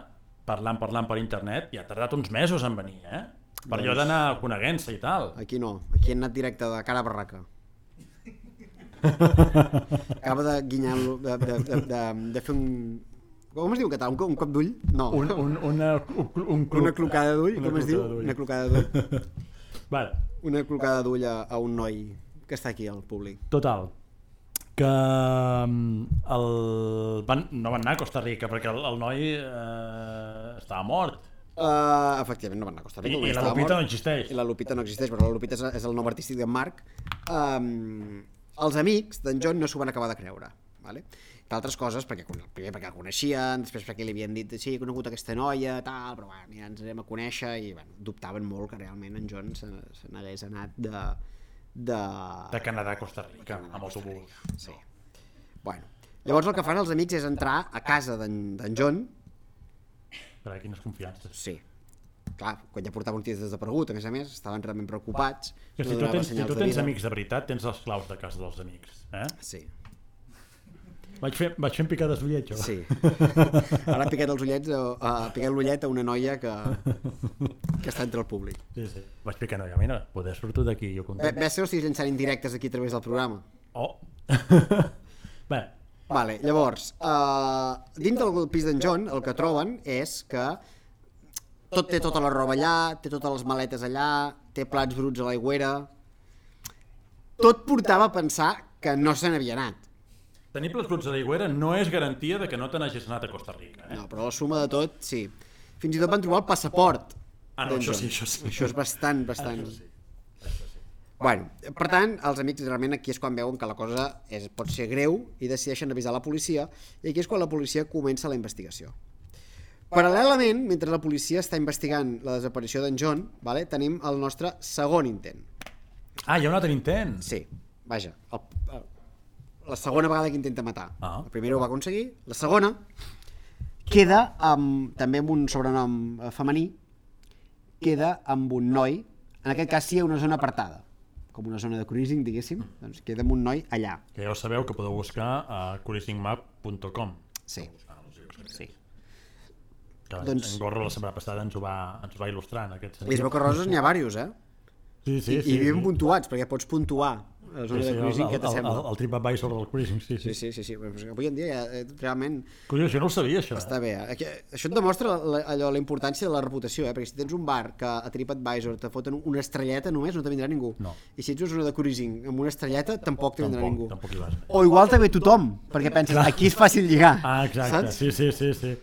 parlant, parlant per internet, i ha tardat uns mesos en venir, eh? Per allò d'anar coneguent-se i tal. Aquí no, aquí han anat directe de cara a barraca. Acaba de guinyar, de, de, de, de, de fer un... Com es diu en català? Un, un cop d'ull? No. Un, un, una, un, un cluc. Una clocada d'ull, Una com es diu? clocada d'ull. Una clocada d'ull. Vale, Una clocada d'ull a, a un noi que està aquí al públic. total. Que mm, el... van, no van anar a Costa Rica perquè el, el noi eh, estava mort. Uh, efectivament, no van anar a Costa I, Rica. i perquè la estava Lupita mort. no existeix. I la Lupita no existeix, però la Lupita és, és el nom artístic d'en Marc. Um, els amics d'en John no s'ho van acabar de creure. Vale? D'altres coses, perquè primer perquè el coneixien, després perquè li havien dit sí, he conegut aquesta noia, tal, però bueno, ja ens anem a conèixer i bueno, dubtaven molt que realment en John se, se n'hagués anat de... De, De Canadà a Costa Rica, amb autobús. sí. Bueno, llavors el que fan els amics és entrar a casa d'en d'en John. Carai, quines confiances. Sí. Clar, quan ja portava un temps desaparegut, a més a més, estaven realment preocupats. Que si no tu donava tens, si senyals tu de tens vida. amics de veritat, tens les claus de casa dels amics. Eh? Sí, Vaig, fer, vaig fent picades d'ullet, jo. sí. Ara ha picat els ullets, uh, ha picat l'ullet a una noia que, que està entre el públic. Sí, sí. Vaig picant, no, mira, poder surto d'aquí, jo Bé, content. ves que no estiguis llançant indirectes aquí a través del programa. Oh! Bé, Vale, llavors, uh, dins del pis d'en John el que troben és que tot té tota la roba allà, té totes les maletes allà, té plats bruts a l'aigüera. Tot portava a pensar que no se n'havia anat. tenir plats bruts a l'aigüera no és garantia de que no te n'hagis anat a Costa Rica. Eh? No, però la suma de tot, sí. Fins i tot van trobar el passaport. Ah, no, d'en això John. sí, això sí. Això és bastant, bastant... Això sí. Això sí. Bueno, per tant, els amics realment aquí és quan veuen que la cosa és, pot ser greu i decideixen avisar la policia, i aquí és quan la policia comença la investigació. Paral·lelament, mentre la policia està investigant la desaparició d'en John, vale, tenim el nostre segon intent. Ah, hi ha un altre intent? Sí, vaja, el, el, la segona vegada que intenta matar. Ah. La primera ho va aconseguir, la segona queda amb, també amb un sobrenom femení, queda amb un noi, en aquest cas sí, a una zona apartada, com una zona de cruising, diguéssim, doncs queda amb un noi allà. Que ja ho sabeu que podeu buscar a cruising map punt com. Sí, sí. Que Doncs- en Gorro la setmana passada ens ho va, ens ho va il·lustrar en aquest sentit. I es veu que roses n'hi ha diversos, eh? Sí, sí, I, sí. i ben sí. puntuats, perquè pots puntuar la zona Sí, sí, de cruising, el, què el, t'assembla? el, el TripAdvisor del cruising, sí, sí. Sí, sí, sí, sí. Però avui en dia ja, eh, realment Curiós, jo no ho sabia, això. està bé. Eh? Que- Això et demostra la, allò, la importància de la reputació, eh? Perquè si tens un bar que a TripAdvisor te foten una estrelleta només, no te vindrà ningú. No. I si ets una zona de cruising amb una estrelleta, tampoc te vindrà Tampoc, ningú. tampoc hi vas. O igual te ve tothom, perquè penses, aquí és fàcil lligar. Ah, exacte, saps? sí, sí, sí, sí.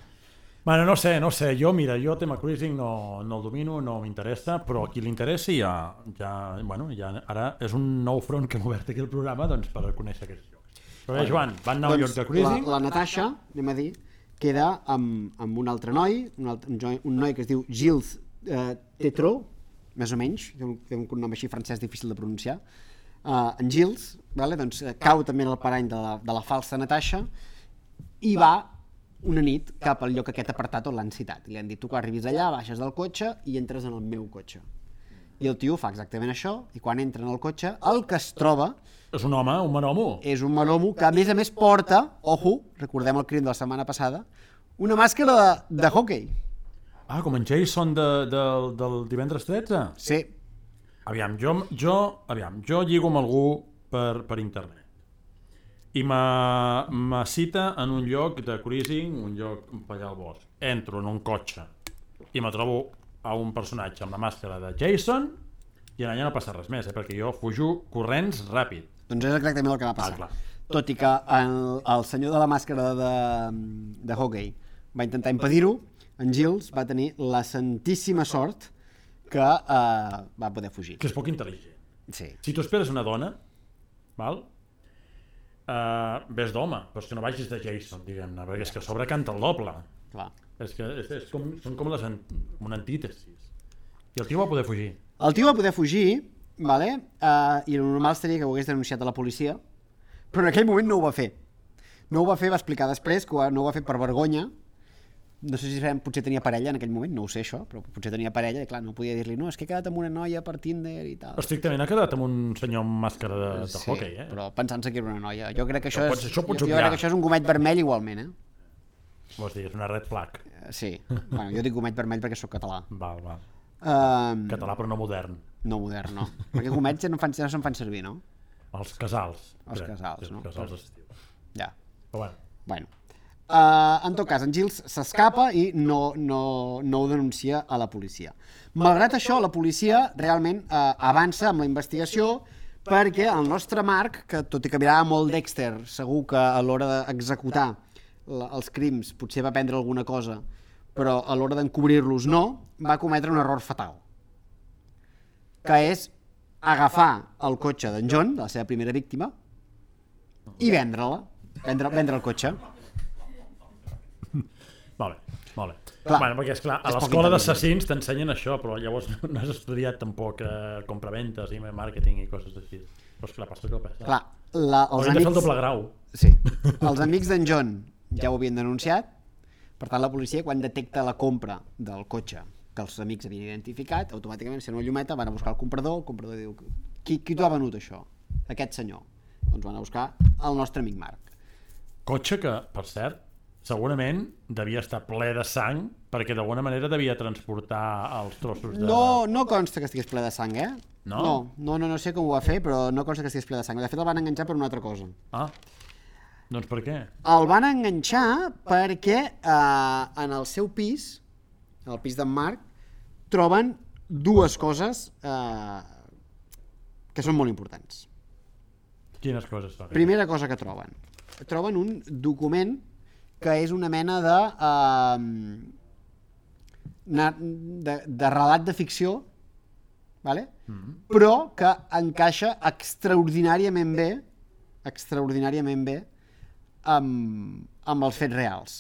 Bueno, no sé, no sé, jo, mira, jo tema cruising no, no el domino, no m'interessa, però a qui li interessi ja, ja, bueno, ja, ara és un nou front que hem obert aquí al programa, doncs, per conèixer aquests llocs. Però bé, Joan, van anar a un lloc de cruising? La, la Natasha, anem a dir, queda amb, amb un altre noi, un, altre, un, noi, un noi que es diu Gilles eh, Tétrault, més o menys, té un, té un cognom així francès difícil de pronunciar. Uh, en Gilles, vale, doncs, eh, cau també en el parany de la, de la falsa Natasha i va una nit cap al lloc aquest apartat on l'han citat. I li han dit, tu quan arribis allà, baixes del cotxe i entres en el meu cotxe. I el tio fa exactament això, i quan entra en el cotxe, el que es troba És un home, un manomo. és un manomo que a més a més porta, ojo, recordem el crim de la setmana passada, una màscara de, de hockey. Ah, com en Jason de, de, del divendres tretze? Sí, Aviam, jo, jo, aviam, jo lligo amb algú per, per internet i me, me cita en un lloc de cruising, un lloc per allà al bosc. Entro en un cotxe i me trobo a un personatge amb la màscara de Jason i allà no passa res més, eh, perquè jo fujo corrents ràpid. doncs és exactament el que va passar. Ah, clar. Tot i que el, el senyor de la màscara de, de hockey va intentar impedir-ho, en Gilles va tenir la santíssima sort que eh, va poder fugir. Que és poc intel·ligent. Sí. Si tu esperes una dona, val? Uh, ves d'home, però és que no vagis de Jason, diguem-ne, perquè és que a sobre canta el doble. Clar. És que és, és com, són com les an, una antítesis. I el tio va poder fugir. El tio va poder fugir, vale? uh, i el normal seria que ho hagués denunciat a la policia, però en aquell moment no ho va fer. No ho va fer, va explicar després que no ho va fer per vergonya. No sé si potser tenia parella en aquell moment, no ho sé això, però potser tenia parella i clar, no podia dir-li, no, és que he quedat amb una noia per Tinder i tal. Estrictament ha quedat amb un senyor amb màscara de, de Sí, hockey, eh? però pensant-se que era una noia. Jo crec que això, Això és, pots- això pots jo, jo obviar. crec que això és un gomet vermell igualment, eh? Vols dir, és una red flag. Eh, Sí, bueno, jo dic gomet vermell perquè sóc català. Val, val. Um, Català però no modern. no modern, no. Perquè gomets ja no, fan, ja no se'n fan servir, no? Els casals. Els crec. casals, Sí, no? Els casals estius. Ja, Però bueno, bueno. Uh, en tot cas, en Gilles s'escapa i no, no, no ho denuncia a la policia. Malgrat això, la policia realment uh, avança amb la investigació perquè el nostre Marc, que tot i que mirava molt Dexter, segur que a l'hora d'executar la, els crims potser va aprendre alguna cosa, però a l'hora d'encobrir-los no, va cometre un error fatal, que és agafar el cotxe d'en John, de la seva primera víctima, i vendre-la, vendre, vendre el cotxe. molt bé, molt bé. Clar, bueno, perquè, esclar, a és poc l'escola intel·ligent. d'assassins t'ensenyen això, però llavors no has estudiat tampoc eh, compraventes i màrqueting i coses així. Però esclar, passa que passa. Clar, la, els Hauríem de fer el amics... doble grau. Sí, els amics d'en John ja ho havien denunciat, per tant la policia quan detecta la compra del cotxe que els amics havien identificat, automàticament si no una llumeta van a buscar el comprador, el comprador diu qui, qui t'ho ha venut això? Aquest senyor. Doncs van a buscar el nostre amic Marc. Cotxe que, per cert, segurament devia estar ple de sang perquè d'alguna manera devia transportar els trossos de... No, no consta que estigués ple de sang, eh? No? No, no, no, no sé com ho va fer, però no consta que estigués ple de sang. De fet el van enganxar per una altra cosa. Ah, doncs per què? El van enganxar perquè eh, en el seu pis, en el pis d'en Marc, troben dues coses eh, que són molt importants. Quines coses són? Primera cosa que troben. Troben un document que és una mena de, eh, na- de, de relat de ficció vale? Mm-hmm. Però que encaixa extraordinàriament bé, extraordinàriament bé amb, amb els fets reals.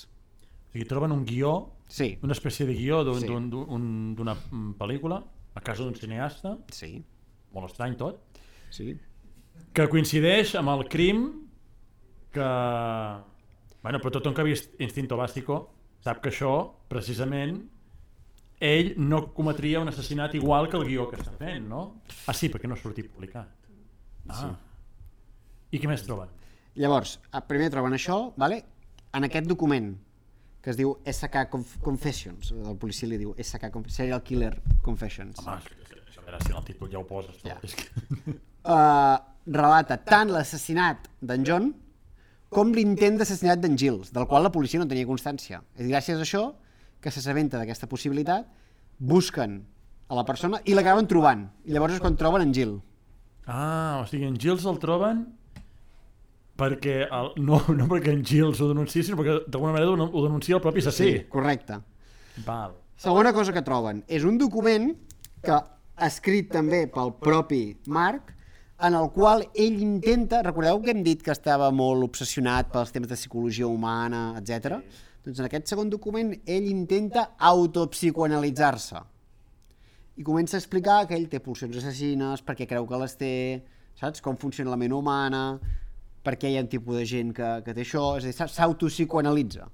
O sigui, troben un guió, sí. Una espècie de guió d'un, sí. d'un, d'un, d'una pel·lícula a casa d'un cineasta, sí. Molt estrany tot, sí. Que coincideix amb el crim que... Bueno, però tothom que ha vist Instinto Básico sap que això, precisament, ell no cometria un assassinat igual que el guió que està fent, no? Ah, sí, perquè no ha sortit publicat. Ah. Sí. I què més troben? Llavors, primer troben això, vale? En aquest document, que es diu S K Confessions, el policia li diu S K Serial Killer Confessions. Home, això era si en el títol ja ho poses. Ja. És que... uh, relata tant l'assassinat d'en John com l'intent d'assassinat d'en Giles, del qual la policia no tenia constància. És gràcies a això que s'assabenta d'aquesta possibilitat, busquen a la persona i l'acaben trobant. I llavors és quan troben en Gill. Ah, o sigui, en Giles el troben perquè el, no, no perquè en Giles ho denunciï, sinó perquè d'alguna manera ho denuncia el propi assassí. Sí, correcte. Val. Segona cosa que troben és un document que escrit també pel propi Mark, en el qual ell intenta, recordeu que hem dit que estava molt obsessionat pels temes de psicologia humana, etcètera. Sí. Doncs en aquest segon document ell intenta autopsicoanalitzar-se i comença a explicar que ell té pulsions assassines, perquè creu que les té, saps? Com funciona la ment humana, per què hi ha un tipus de gent que, que té això, és a dir, s'autopsicoanalitza.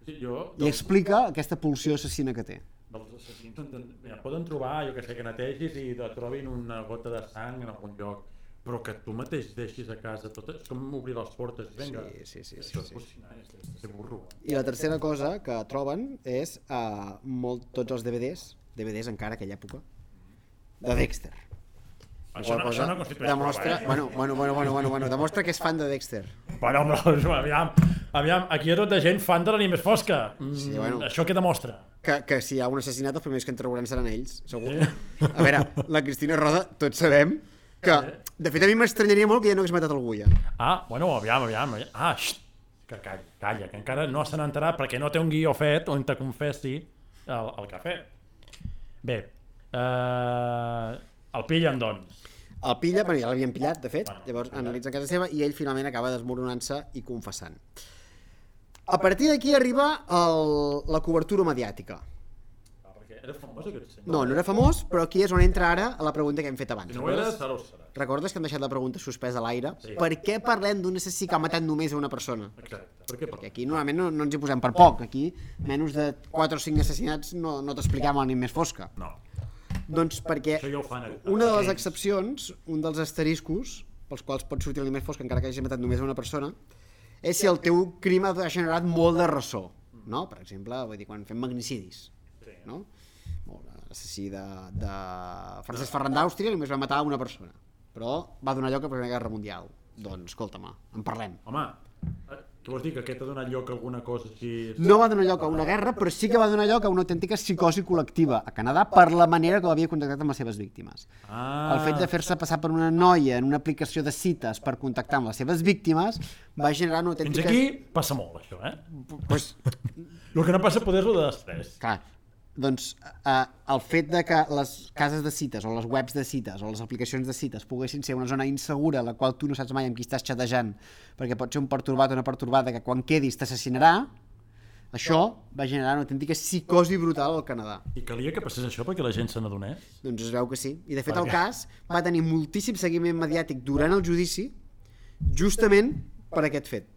Sí, jo, I explica aquesta pulsió assassina que té. Dels assassins ja, poden trobar, jo que sé, que netegis i trobin una gota de sang en algun lloc, però que tu mateix deixis a casa tot, és com obrir les portes, vinga. Sí, sí, sí. Això sí, és sí. És de burro. I la tercera cosa que troben és uh, molt, tots els D V Ds, D V Ds encara a aquella època, de Dexter. Això no, això no constitueix demostra, prova, eh? bueno, bueno, bueno, bueno, bueno, bueno, demostra que és fan de Dexter. Bueno, però, aviam, aviam, aquí hi ha tota gent fan de l'anime més fosca. Mm, sí, bueno. Això què demostra? Que, que si hi ha un assassinat, els primers que en trauran seran ells, segur. Sí. A veure, la Cristina Roda, tots sabem que, de fet, a mi m'estranyaria molt que ja no hagués matat algú ja. Ah, bueno, aviam, aviam. Ah, xt, que calla, calla, que encara no se n'ha enterat perquè no té un guió fet on te confessi el, el que ha fet. Bé, eh, el pillen, doncs. El pilla, però ja l'havien pillat, de fet, bueno, llavors analitza casa seva i ell finalment acaba desmoronant-se i confessant. A partir d'aquí arriba el, la cobertura mediàtica. Ah, perquè era famós aquest senyor? No, no era famós, però aquí és on entra ara a la pregunta que hem fet abans. Si no ho era, serà o serà. Recordes que hem deixat la pregunta suspesa a l'aire? Sí. Per què parlem d'un assassí que ha matat només a una persona? Exacte. Per què Perquè aquí normalment no, no ens hi posem per poc. Aquí, menys de quatre o cinc assassinats no, no t'expliquem l'ànim més fosca. No. Doncs perquè ja fan, una de les excepcions, un dels asteriscos pels quals pot sortir l'ànim més fosca encara que hagi matat només a una persona, és si el teu crim ha generat molt de ressò, no? Per exemple, vull dir, quan fem magnicidis, no? L'assassí de, de Francesc Ferran d'Àustria només va matar una persona, però va donar lloc a la Primera Guerra Mundial. Doncs, escolta-me, en parlem. Home, què vols dir, que aquest ha donat lloc a alguna cosa així? No va donar lloc a una guerra, però sí que va donar lloc a una autèntica psicosi col·lectiva a Canadà per la manera que l'havia contactat amb les seves víctimes. Ah. El fet de fer-se passar per una noia en una aplicació de cites per contactar amb les seves víctimes va generar una autèntica... Fins aquí passa molt, això, eh? Pues... El que no passa poder és el de després. Clar, doncs eh, el fet de que les cases de cites o les webs de cites o les aplicacions de cites poguessin ser una zona insegura en la qual tu no saps mai amb qui estàs xatejant perquè pot ser un pertorbat o una pertorbada que quan quedis t'assassinarà, això va generar una autèntica psicosi brutal al Canadà. I calia que passés això perquè la gent se n'adonés? Doncs es veu que sí. I de fet el cas va tenir moltíssim seguiment mediàtic durant el judici justament per aquest fet.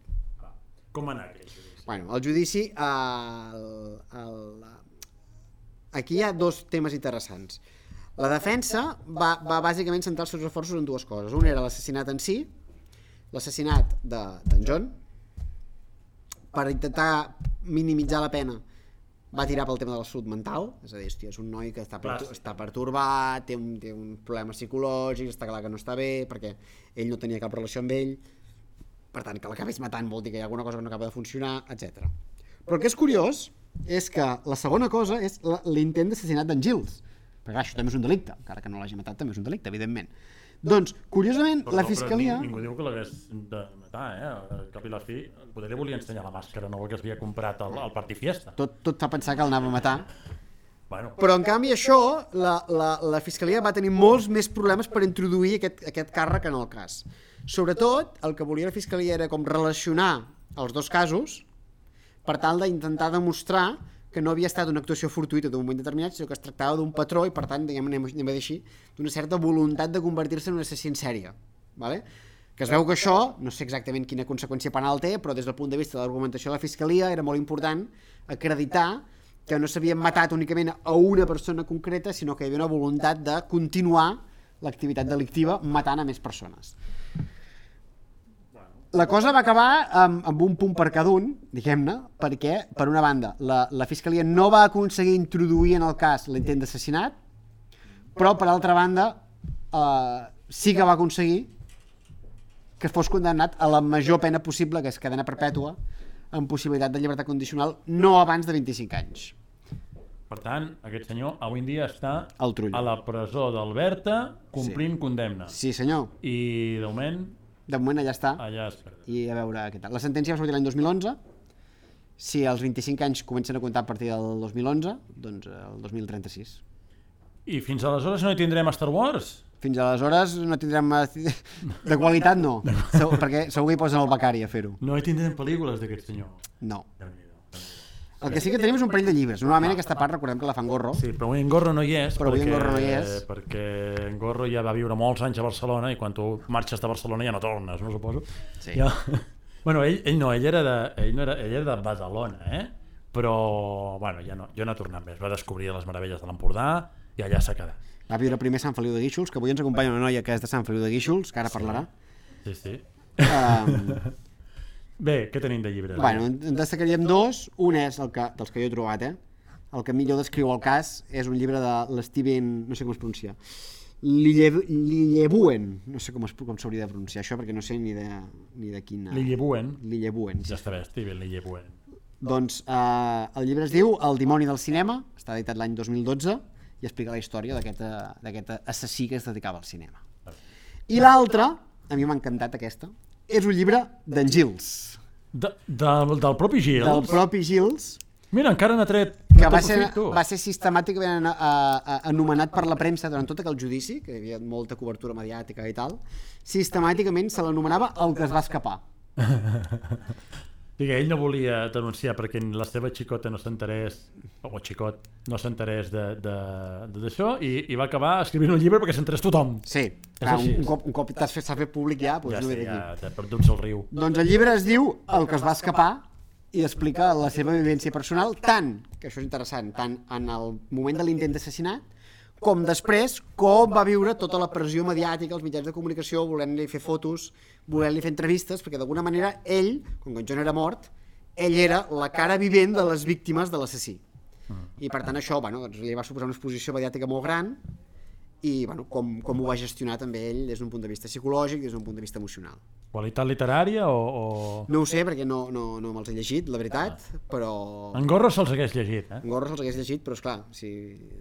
Com va anar aquest judici? Bueno, el judici... El, el, aquí hi ha dos temes interessants. La defensa va, va bàsicament centrar els seus esforços en dues coses. Un era l'assassinat en si, l'assassinat d'en de, John, per intentar minimitzar la pena va tirar pel tema de la salut mental, és a dir, hòstia, és un noi que està, pertur està pertorbat, té un, té un problema psicològic, està clar que no està bé, perquè ell no tenia cap relació amb ell, per tant, que l'acabés matant vol dir que hi ha alguna cosa que no acaba de funcionar, etcètera. Però el que és curiós és que la segona cosa és l'intent d'assassinat d'en Giles, perquè clar, això també és un delicte, encara que no l'hagi matat també és un delicte, evidentment. Doncs, curiosament, però, la fiscalia... Però ningú diu que l'hagués de matar, eh? Al cap i la fi, potser li volia ensenyar la màscara nova que s'havia comprat al, al Party Fiesta. Tot, tot fa pensar que el anava a matar. Bueno. Però, en canvi, això, la, la, la Fiscalia va tenir molts més problemes per introduir aquest, aquest càrrec en el cas. Sobretot, el que volia la Fiscalia era com relacionar els dos casos per tal d'intentar demostrar que no havia estat una actuació fortuïta d'un moment determinat, sinó que es tractava d'un patró i, per tant, diguem, anem, anem a dir així, d'una certa voluntat de convertir-se en un assassí en sèrie. Vale? Que es veu que això, no sé exactament quina conseqüència penal té, però des del punt de vista de l'argumentació de la Fiscalia era molt important acreditar que no s'havien matat únicament a una persona concreta, sinó que hi havia una voluntat de continuar l'activitat delictiva matant a més persones. La cosa va acabar amb, amb un punt per cada un, diguem-ne, perquè, per una banda, la, la Fiscalia no va aconseguir introduir en el cas l'intent d'assassinat, però, per altra banda, eh, sí que va aconseguir que fos condemnat a la major pena possible, que és cadena perpètua, amb possibilitat de llibertat condicional, no abans de vint-i-cinc anys. Per tant, aquest senyor avui en dia està Al Trull. a la presó d'Alberta complint sí. condemna. Sí, senyor. I, de moment, De moment allà està. allà es perd. I a veure què tal. La sentència va sortir l'any dos mil onze. Si els vint-i-cinc anys comencen a comptar a partir del dos mil onze, doncs el dos mil trenta-sis. I fins aleshores no hi tindrem Star Wars? Fins aleshores no tindrem... De qualitat no, segur, perquè segur que hi posen el becari a fer-ho. No hi tindrem pel·lícules d'aquest senyor. No. El que sí que tenim és un parell de llibres. Normalment aquesta part recordem que la fan Gorro. Sí, però avui en Gorro no hi és, Però avui en perquè, Gorro no hi és. perquè en Gorro ja va viure molts anys a Barcelona i quan tu marxes de Barcelona ja no tornes, no suposo? Sí. Ja... Bueno, ell, ell no, ell era de, ell no era, ell era de Badalona, eh? Però, bueno, ja no, jo no he tornat més. Va descobrir les meravelles de l'Empordà i allà s'ha quedat. Va viure primer a Sant Feliu de Guíxols, que avui ens acompanya una noia que és de Sant Feliu de Guíxols, que ara Sí. parlarà. Sí, sí. Um, Bé, què tenim de llibres? bueno, en destacaríem dos. Un és el que, dels que jo he trobat, eh? El que millor descriu el cas és un llibre de l'Steven, no sé com es pronuncia, Lillebuen, no sé com, es, com s'hauria de pronunciar això, perquè no sé ni de, ni de quina... Lillebuen. Lillebuen, Ja està bé, Steven Lillebuen. Doncs eh, el llibre es diu El dimoni del cinema, està editat l'any dos mil dotze i explica la història d'aquest assassí que es dedicava al cinema. I l'altre, a mi m'ha encantat aquesta, és un llibre d'en Gils. De, de, del propi Gils? Del propi Gils, Mira, encara n'ha tret... que va ser, va ser sistemàticament a, a, a, anomenat per la premsa durant tot aquell judici, que hi havia molta cobertura mediàtica i tal, sistemàticament se l'anomenava el que es va escapar. Digue, ell no volia denunciar perquè la seva xicota no s'enterés, o xicot, no s'enterés d'això, i, i va acabar escrivint un llibre perquè s'enterés tothom. Sí, clar, un, un cop, un cop t'has fet, fet públic ja, doncs Ja no sé, ve ja d'aquí. t'ha perdut el riu. Doncs el llibre es diu El que es va escapar i explica la seva vivència personal, tant, que això és interessant, tant en el moment de l'intent d'assassinat, com després, com va viure tota la pressió mediàtica, els mitjans de comunicació, volent-li fer fotos, volent-li fer entrevistes, perquè d'alguna manera ell, com que en John era mort, ell era la cara vivent de les víctimes de l'assassí. I per tant això, bueno, doncs, li va suposar una exposició mediàtica molt gran i bueno, com, com ho va gestionar també ell des d'un punt de vista psicològic, des d'un punt de vista emocional. Qualitat literària o...? o... No ho sé, perquè no, no, no me'ls he llegit, la veritat, ah. però... En Gorro se'ls hagués llegit, eh? En Gorro se'ls hagués llegit, però esclar, si,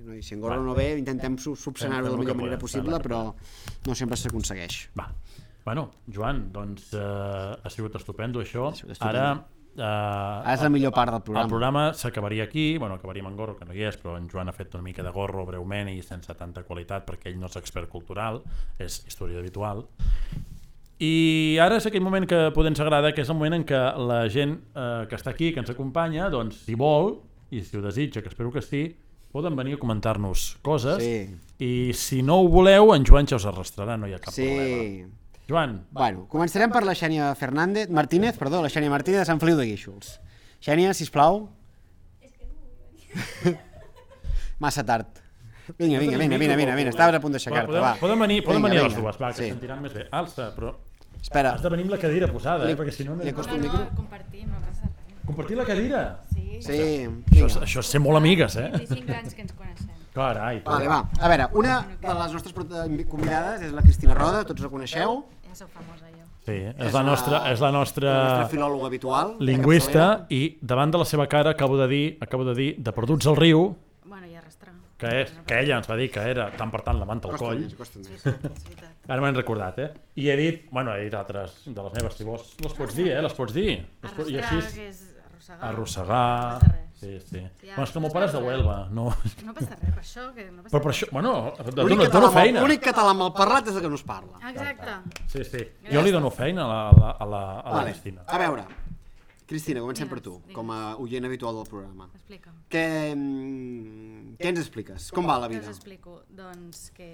no, si en Gorro no ve, intentem subsanar-ho de la millor manera possible, però no sempre s'aconsegueix. Va. Bueno, Joan, doncs eh, ha sigut estupendo això. sigut estupendo. Ara... Uh, Ara és la millor part del programa. El programa s'acabaria aquí, bueno, acabaríem en Gorro, que no hi és, però en Joan ha fet una mica de Gorro breument i sense tanta qualitat, perquè ell no és expert cultural, és història habitual. I ara és aquell moment que poder ens agrada, que és el moment en què la gent eh, que està aquí, que ens acompanya, doncs, si vol, i si ho desitja, que espero que sí, poden venir a comentar-nos coses, Sí. i si no ho voleu, en Joan ja us arrastrarà, no hi ha cap Sí. problema. Joan. Bueno, començarem per la Xènia Fernández, Martínez, perdó, la Xènia Martínez de Sant Feliu de Guíxols. Xènia, sisplau. És que no vull venir. Massa tard. Vinga, vinga, vinga, vinga, vinga, vinga, estaves a punt d'aixecar-te, va. Poden venir, poden Vinga, venir vinga. les dues, va, que Sí. sentiran més bé. Alça, però Espera, has de venir amb la cadira posada, eh, Li- perquè si no... no... li acosto el No, micro. no, compartim, no passa res. Compartir la cadira? Sí, Sí, Això, és- vinga. això és ser molt amigues, eh? vint-i-cinc anys que ens coneixem. Carai, Vale, va. A veure, una de les nostres prota- convidades és la Cristina Roda, tots la coneixeu. Ja sóc famosa jo. Sí, és la nostra, és la La nostra nostra filòloga habitual. de lingüista capçalera. i davant de la seva cara acabo de dir, acabo de dir, de Perduts al riu, Bueno, i arrastrar. que, és, que ella ens va dir que era tant per tant la manta al Costa coll. més, costa És més. veritat, és veritat. Ara m'han recordat, eh? I he dit, bueno, he dit altres de les meves, si vols, les pots dir, eh? Les pots dir. Les pots, I Arrastrar, així... que és arrossegar. arrossegar... No passa res. Sí, sí. Ja, Bueno, és que el meu es pare és de veu Huelva, no... No passa res, per això que no passa Però per res. això, bueno, et L'únic dono, et català, dono amb- feina. l'únic català mal parlat és el que no es parla. Exacte. Sí, sí. Jo li dono feina a la, a la, a la, a la Vale. Cristina. A veure, Cristina, comencem per Digues, tu, digues. com a oient habitual del programa. Explica'm. Què, mm, què ens expliques? Com va la Què vida? us explico? Doncs que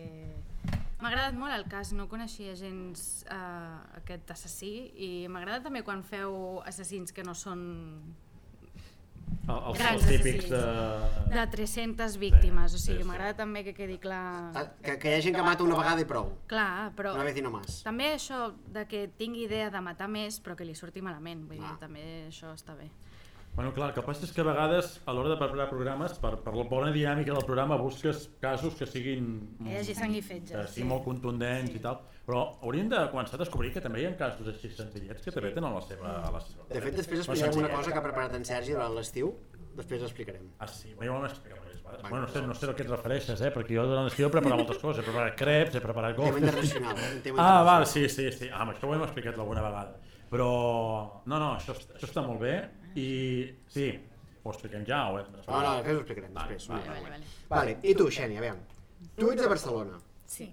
m'ha agradat molt el cas, no coneixia gens eh, aquest assassí i m'agrada també quan feu assassins que no són El, els, grans els típics de... assassins, de tres-centes víctimes, o Sí, sigui, sí. m'agrada també que quedi clar... Ah, Que, que hi ha gent que mata una vegada i prou. Clar, però Una vez i no más. també això de que tingui idea de matar més però que li surti malament, vull dir, Ah. també això està bé. Bueno, clar, el que passa és que a vegades, a l'hora de preparar programes, per, per la bona dinàmica del programa, busques casos que siguin... Que hi hagi sang i fetge, Que sí. siguin molt contundents i tal. Però hauríem de començar a descobrir que també hi ha casos així senzillets que també tenen la seva... La seva De fet, després No, explicarem una senzillet. cosa que ha preparat en Sergi durant l'estiu. Després l'explicarem. Ah, sí, ja ho vam explicar diverses vegades. Bueno, no sé, no sé a què et refereixes, eh? Perquè jo durant l'estiu he preparat moltes coses. He preparat creps, he preparat Tema gofres... internacional. Un tema Ah, val, internacional. sí, sí, sí. Ah, això ho hem explicat alguna vegada. Però, no, no, això, això està molt bé i sí, ho expliquem ja o hem No, no, després ho explicarem. Vale, Després. vale, Vale, vale. Vale, i tu, Xènia, aviam. Tu ets de Barcelona, Sí.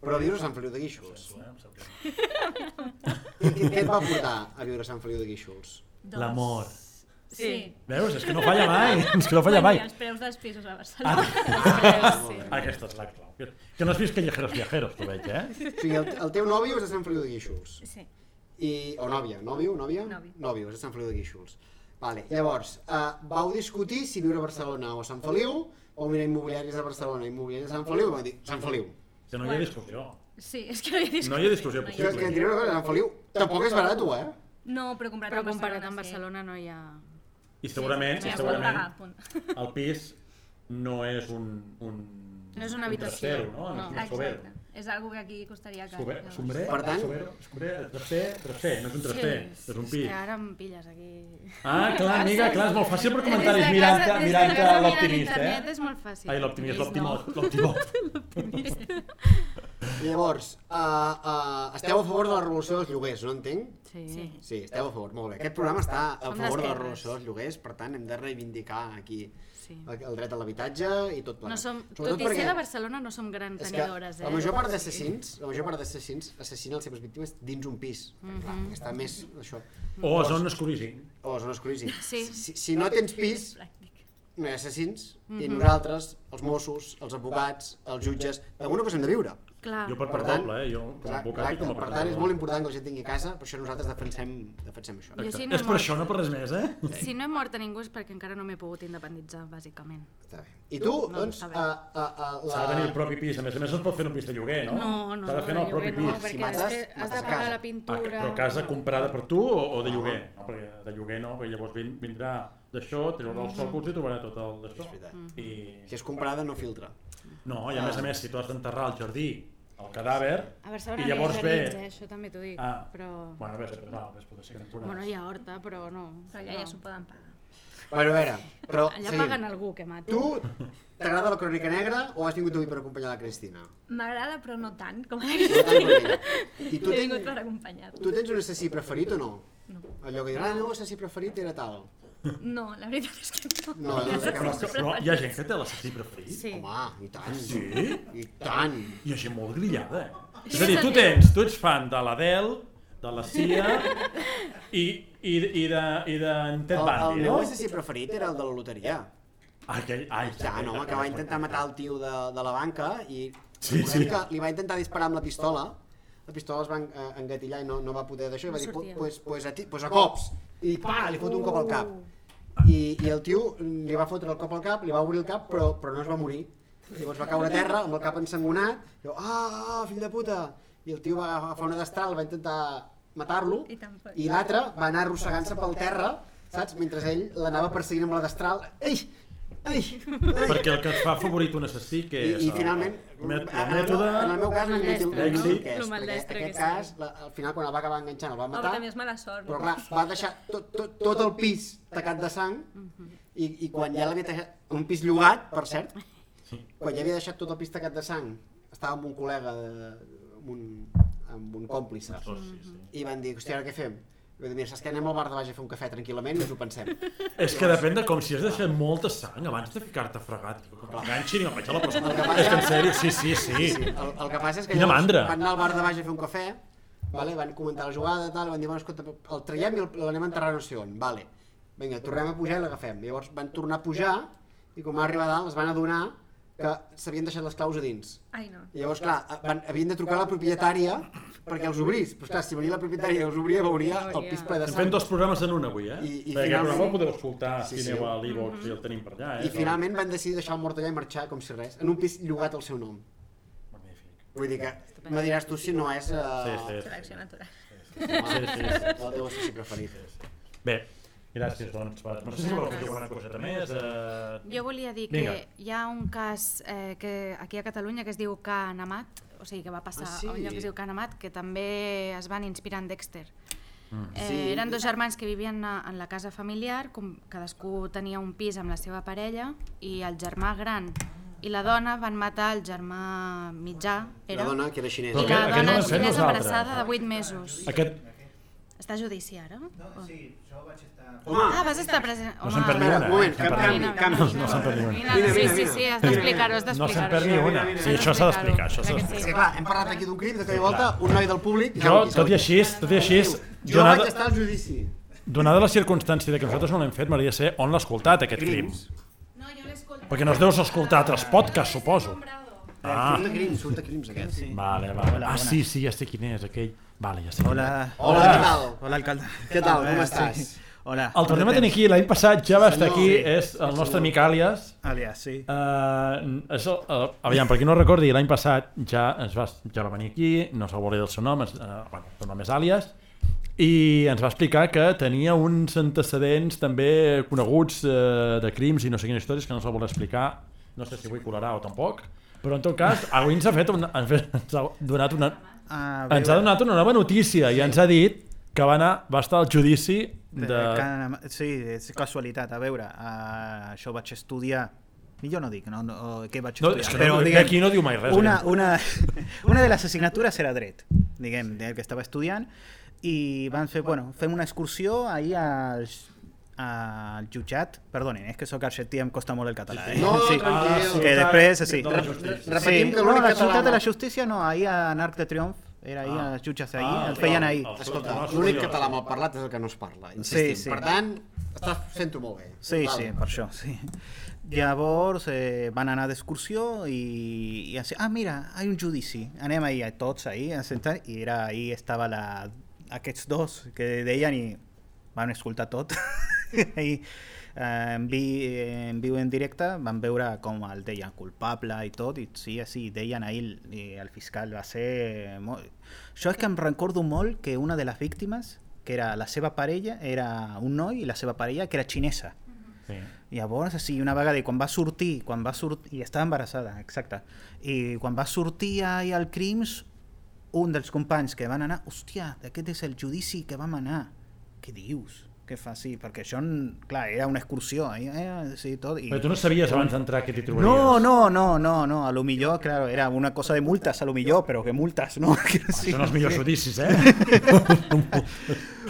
però vius a Sant Feliu de Guíxols. Eh, em sap greu. I què, què et va portar a viure a Sant Feliu de Guíxols? L'amor. Sí. Veus? És que no falla mai, és que no falla mai. I els preus dels pisos a Barcelona. Ah, Sí. aquesta és la clau. Que- Que no has vist Callejeros Viajeros, tu veig, eh? O sigui, el, el teu nòvio és de Sant Feliu de Guíxols. Sí. I, o nòvia, nòvio, nòvia? Nòvio. Nòvio, és de Sant Feliu de Guíxols. Vale, llavors, uh, vau discutir si viure a Barcelona o a Sant Feliu, o mirar immobiliaris a Barcelona i immobiliaris a Sant Feliu, i vau dir, Sant Feliu. Que no hi ha discussió. Sí, és que no hi ha discussió. No hi ha discussió No hi ha És que et possible. diré una cosa, Sant Feliu tampoc és barat, eh? No, però comparat Però amb comparat Barcelona, amb sí. Barcelona no hi ha... I segurament, Sí, i sí, segurament, pagar, punt. el pis no és un... un No és una un habitació, trastero, no? no. És un sober. Exacte. És algo que aquí costaria car. Sober, llavors. sombrer, Per tant- sober, sober, traster, traster, no és un traster, és un És pis. que ara em pilles aquí... Ah, clar, amiga, clar, és molt fàcil per Des comentaris de mirant, casa- des de mirant casa mirant l'optimista, internet eh? és molt fàcil. Ai, l'optimista, Optimista. l'optimista. Llavors, uh, uh, esteu a favor de la revolució dels lloguers, no entenc? Sí. Sí. Sí, esteu a favor, molt bé. Aquest programa està a Som favor de la d'esquerres. revolució dels lloguers, per tant hem de reivindicar aquí Sí. el, el dret a l'habitatge i tot plegat. No som, Sobretot tot i perquè ser de Barcelona no som gran és que tenidores, eh? la major part d'assassins, la major part d'assassins assassinen les seves víctimes dins un pis, perquè, clar, perquè està més això. O a zones cruising. O a zones cruising. Sí. Si, si no tens pis, Pràctic. no hi ha assassins, Mhm. i nosaltres, els Mossos, els advocats, els jutges, d'alguna cosa hem de viure. Clar. Jo per Per part tant, doble, eh? Jo com a Clar, advocat i com a per tant, és molt important que la gent tingui casa, per això nosaltres defensem, defensem això. Jo si no És he per mort- això, no per res més, eh? Si no he mort a ningú és perquè encara no m'he pogut independitzar, bàsicament. Està bé. I tu, No, doncs, està bé. a, a, a, S'ha de tenir el propi pis, a més a més no es pot fer en un pis de lloguer, no? No, no, S'ha de fer en el de propi lloguer no, pis. Si perquè mates, després has mates de pagar casa. la Ah, pintura... però casa comprada per tu o, o de lloguer? No, perquè de lloguer no, perquè llavors vin, vindrà d'això, treurà els sòcols i trobarà tot el d'això. És veritat. I... Si és comprada, no filtra. No, i a més a més, si tu has d'enterrar al jardí el cadàver, A Barcelona i no hi ha llavors ve... jardins, eh? Això també t'ho dic, Ah, però... bueno, a veure, no, després pot ser que temporades. Bueno, hi ha horta, però no. Però allà ja s'ho poden pagar. Bueno, a veure, però Allà seguim. paguen algú que mati. Tu t'agrada la crònica negra o has vingut avui per acompanyar la Cristina? M'agrada, però no tant com a No tant com ella. I tu He vingut tens, per acompanyar-lo. tu tens un assassí preferit o no? No. Allò que diran, ah, no, assassí preferit era tal. No, la veritat és que no. No, no sé què Però, vols dir. però hi ha gent que té l'assassí preferit? Sí. Home, i tant. Sí? I tant. Hi ha gent molt grillada, eh? És a dir, tu tens, tu ets fan de l'Adele, de la Cia i, i, i de, i d'en Ted El, el Bundy, meu no? assassí preferit era el de la loteria. Ai, que, ai, Ja, no, home, que va intentar matar el tio de, de la banca i Sí, recordem sí. que li va intentar disparar amb la pistola, la pistola es va en- eh, engatillar i no, no va poder d'això, i va dir, sortia. pues, pues, a ti, pues a cops, i pa, li fot un cop al cap. I, I el tio li va fotre el cop al cap, li va obrir el cap, però, però no es va morir. Llavors va caure a terra amb el cap ensangonat, i diu, ah, fill de puta! I el tio va agafar una destral, va intentar matar-lo, I tampoc. i l'altre va anar arrossegant-se pel terra, saps? Mentre ell l'anava perseguint amb la destral. Ei! Ei! Ei! Perquè el que et fa favorit un assassí, que I, és i finalment, el, met, en, el el meu, mètode... en el meu cas no Maldestre, no no? sé què és, Lo perquè maldestre aquest que cas, la, al final quan el va acabar enganxant el va Home, matar, també és mala sort. però clar, va deixar tot, tot, tot el pis tacat de sang, i, i quan ja l'havia deixat, un pis llogat, per cert, quan ja havia deixat tot el pis tacat de sang, estava amb un col·lega, de, amb, un, amb un còmplice, Oh, sí, sí. i van dir, hòstia, ara què fem? Vull dir, mira, saps que anem al bar de baix a fer un cafè tranquil·lament i ens ho pensem. És que depèn de com si has deixat molta sang abans de ficar-te fregat. Que m'enganxin i me'n vaig a la persona. És que en sèrio, sí, sí, sí. sí el, el que passa és que Quina mandra. van anar al bar de baix a fer un cafè, vale? Van comentar la jugada, tal, van dir, bueno, escolta, el traiem i l'anem a enterrar no sé on. Vale. Vinga, tornem a pujar i l'agafem. Llavors van tornar a pujar i quan va arribar a dalt es van adonar que s'havien deixat les claus a dins. Ai, no. I llavors, clar, van, havien de trucar a la propietària perquè els obrís. Però clar, si venia la propietària i els obria, veuria el pis ple de Estem sang. fent dos programes en un avui, eh? I, i Perquè finalment... el programa el podeu escoltar Sí, si sí. aneu a l'e-box i el tenim per allà, eh? I finalment van decidir deixar el mort allà i marxar com si res, en un pis llogat al seu nom. Magnífic. Vull dir que me diràs tu si no és uh, Sí, sí. Selecció natural. Sí, sí, sí. el teu assassí preferit. Bé, gràcies, doncs. Va. No sé si vols dir alguna coseta més. Eh... Jo volia dir Vinga. que hi ha un cas eh, que aquí a Catalunya que es diu Can Amat, o sigui que va passar Ah, sí? a un lloc que es diu Can Amat, que també es van inspirar en Dexter. Mm. Eh, Sí. Eren dos germans que vivien a- en la casa familiar, com cadascú tenia un pis amb la seva parella, i el germà gran i la dona van matar el germà mitjà, era, La dona que era xinesa. i Però la aquest- aquest no dona l'hem fet xinesa nosaltres. embarassada de vuit mesos. Aquest... Està a judici ara? No, sí, jo vaig estar... Ah, vas estar present. No se'n perd ni una. Un moment, eh? Se'n perd canvi, ni una. canvi. No se'n perd ni una. Mira, Mira, sí, mira, sí, mira. sí, has d'explicar-ho, has No d'explicar-ho. se'n perd ni una. Sí, això s'ha d'explicar, això s'ha Crec que d'explicar. És sí. que clar, hem parlat aquí d'un crim, de cop i volta, un noi del públic... Jo, tot i així, tot i així, Jo donada, vaig estar al judici. donada la circumstància de que nosaltres no l'hem fet, m'agradaria ser on l'ha escoltat, aquest crim. No, jo l'he escoltat. Perquè no es deus escoltar altres podcasts, suposo. Ah, Surt de crims, surt de crims aquest. Sí. vale, vale. Ah, sí, sí, ja sé quin és, aquell. Vale, ja sé quin és. Hola. Hola, què tal? Hola, alcalde. Què tal, com Eh, estàs? sí. Hola. El tornem a tenir aquí, l'any passat ja va estar Senyor. aquí, Sí. és el nostre amic Àlies. Alias, sí. Uh, això, uh, aviam, per qui no recordi, l'any passat ja, ens va, ja va venir aquí, no se'l volia del seu nom, es, uh, bueno, el nom és Àlies, i ens va explicar que tenia uns antecedents també coneguts uh, de crims i no sé quines històries que no se'l volia explicar, no sé si avui colarà o tampoc, però en tot cas, avui ens ha, fet una, ens ha donat una, A ens ha donat una nova notícia i ens ha dit que va, anar, va estar al judici de... de... Can... Sí, és casualitat. A veure, uh, això vaig estudiar... Jo no dic no, no, què vaig No, estudiar. és que però, no, diguem, aquí no diu mai res. una, eh? una, una de les assignatures era dret, diguem, del que estava estudiant, i van fer, bueno, fem una excursió ahir al, al jutjat, perdonin, és que sóc argentí i em costa molt el català, eh? No, sí. tranquil. Que després, sí. De la justícia. Repetim sí. que no, l'únic la català... ciutat de la justícia no, ahir a Arc de Triomf, era ahir, Ah. els jutges ahir, Ah, el feien el- ahir. el- Escolta, el- l'únic el- català mal parlat és el que no es parla, insistim. Sí, sí. Per tant, estàs sento molt bé. Sí, Vale. sí, per això, sí. Llavors eh, van anar d'excursió i, i així, ah, mira, hi ha un judici. Anem ahir tots ahir a sentar i era, ahir estava la, aquests dos que deien i van escoltar tot. I, eh, en, vi, en viu en directe van veure com el deien culpable i tot, i sí, sí, deien ahir i el fiscal va ser... Molt... Jo és que em recordo molt que una de les víctimes, que era la seva parella, era un noi i la seva parella, que era xinesa. Sí. Llavors, sí, una vegada, i quan va sortir, quan va sortir, i estava embarassada, exacte, i quan va sortir ahir al Crims, un dels companys que van anar, hòstia, aquest és el judici que vam anar. Què dius? Què fa? Sí, perquè això, clar, era una excursió, eh? Sí, tot. I... Però tu no sabies abans d'entrar que t'hi trobaries. No, no, no, no, no, a lo millor, claro, era una cosa de multas, a lo millor, però que multas, no? Això Sí, són els millors sí. judicis, eh?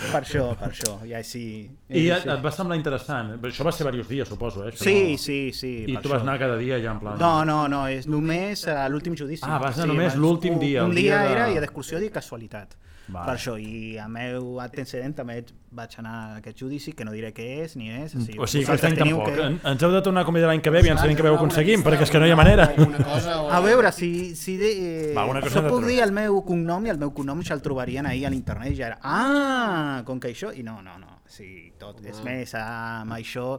Per això, per això, ja sí. I sí. et, et va semblar interessant. Això va ser diversos dies, suposo, eh? Això Sí, no... sí, sí. I per tu vas això. anar cada dia ja en plan... No, no, no, és només a l'últim judici. Ah, vas anar només abans- l'últim un- dia, Un el dia dia de- era i d'excursió de casualitat. Vale. Per això, i a meu antecedent també vaig anar a aquest judici, que no diré què és ni és. O sigui, O sigui, que vosaltres aquest any teniu tampoc. que- En- Ens heu de tornar a convidar l'any que ve, aviam si l'any que ve ho aconseguim, perquè és que no hi ha manera. Alguna cosa o... A veure, si, si de, eh, Va, una cosa jo de puc trobar. dir el meu cognom i el meu cognom ja el trobarien ahir a l'internet, ja era, ah, com que això, i no, no, no, sí, tot, és més, amb això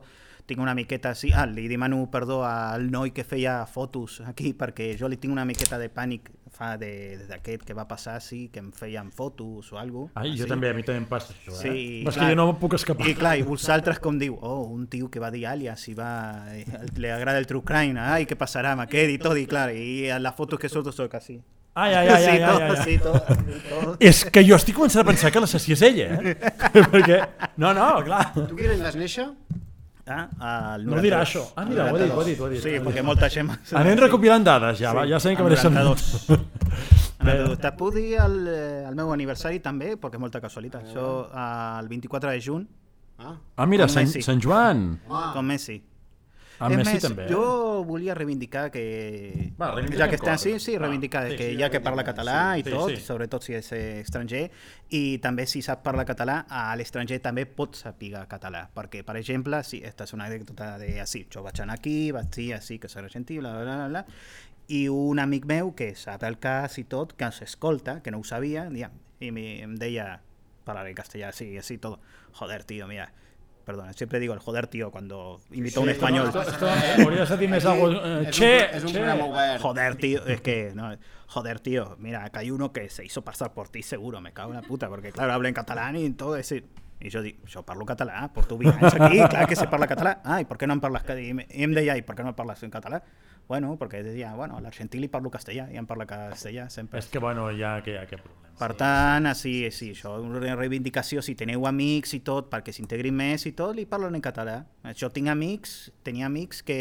tinc una miqueta, sí, ah, li demano perdó al noi que feia fotos aquí, perquè jo li tinc una miqueta de pànic fa de- d'aquest que va passar, sí, que em feien fotos o alguna cosa. Ai, jo també, a mi també em passa això, eh? Sí, Però és clar. que jo no em puc escapar. I clar, i vosaltres com diu, oh, un tio que va dir àlies i va, i li agrada el true crime, ai, què passarà amb aquest i tot, i clar, i en les fotos que surto soc així. Ai, ai, ai, sí, ai, tot, ai, ai. sí, tot, sí, tot. És que jo estic començant a pensar que l'assassí és ella, eh? Perquè... No, no, clar. Tu quin any vas néixer? Ah, el No ho dirà noranta-dos. això. Ah, mira, ho ha dit, ho ha dit. Ho ha dit. Sí, perquè molta gent... Anem recopilant dades, ja, va, ja sabem que el mereixen... noranta-dos. Anècdota. Te puc dir el, el meu aniversari també, perquè és molta casualitat. Això el vint-i-quatre de juny. Ah, ah mira, Com Sant, Messi. Sant Joan. ah. Com Messi. Amb És Messi més, també. Jo volia reivindicar que... Va, reivindiquem ja que està, sí, coses. sí, Va, reivindicar sí, que sí, ja que parla català i sí, tot, sí. sobretot si és eh, estranger, i també si sap parlar català, a l'estranger també pot saber català, perquè, per exemple, sí, esta és una anècdota de així, jo vaig anar aquí, vaig dir així, que soc argentí, bla, bla, bla, bla, i un amic meu que sap el cas i tot, que ens escolta, que no ho sabia, ja, i mi- em deia, parlar en castellà, sí, así todo, joder, tío, mira, perdona, siempre digo el joder, tío, cuando invito a un español. Esto, esto, hauries de dir més algo... Eh, És che, un, és un che. programa obert. Joder, tío, es que, no, joder, tío, mira, acá hay uno que se hizo pasar por ti seguro, me cago en la puta, porque claro, habla en catalán y todo ese... I jo dic, jo parlo català, porto vint anys aquí, clar que se parla català. Ah, i per què no em parles català? I em- i em deia, i per què no em parles en català? Bueno, perquè deia, bueno, a l'argentí li parlo castellà, i em parla castellà sempre. És que, bueno, ja que hi ha aquest problema. Per tant, sí, sí, això, una reivindicació, si teniu amics i tot, perquè s'integrin més i tot, li parlen en català. Jo tinc amics, tenia amics que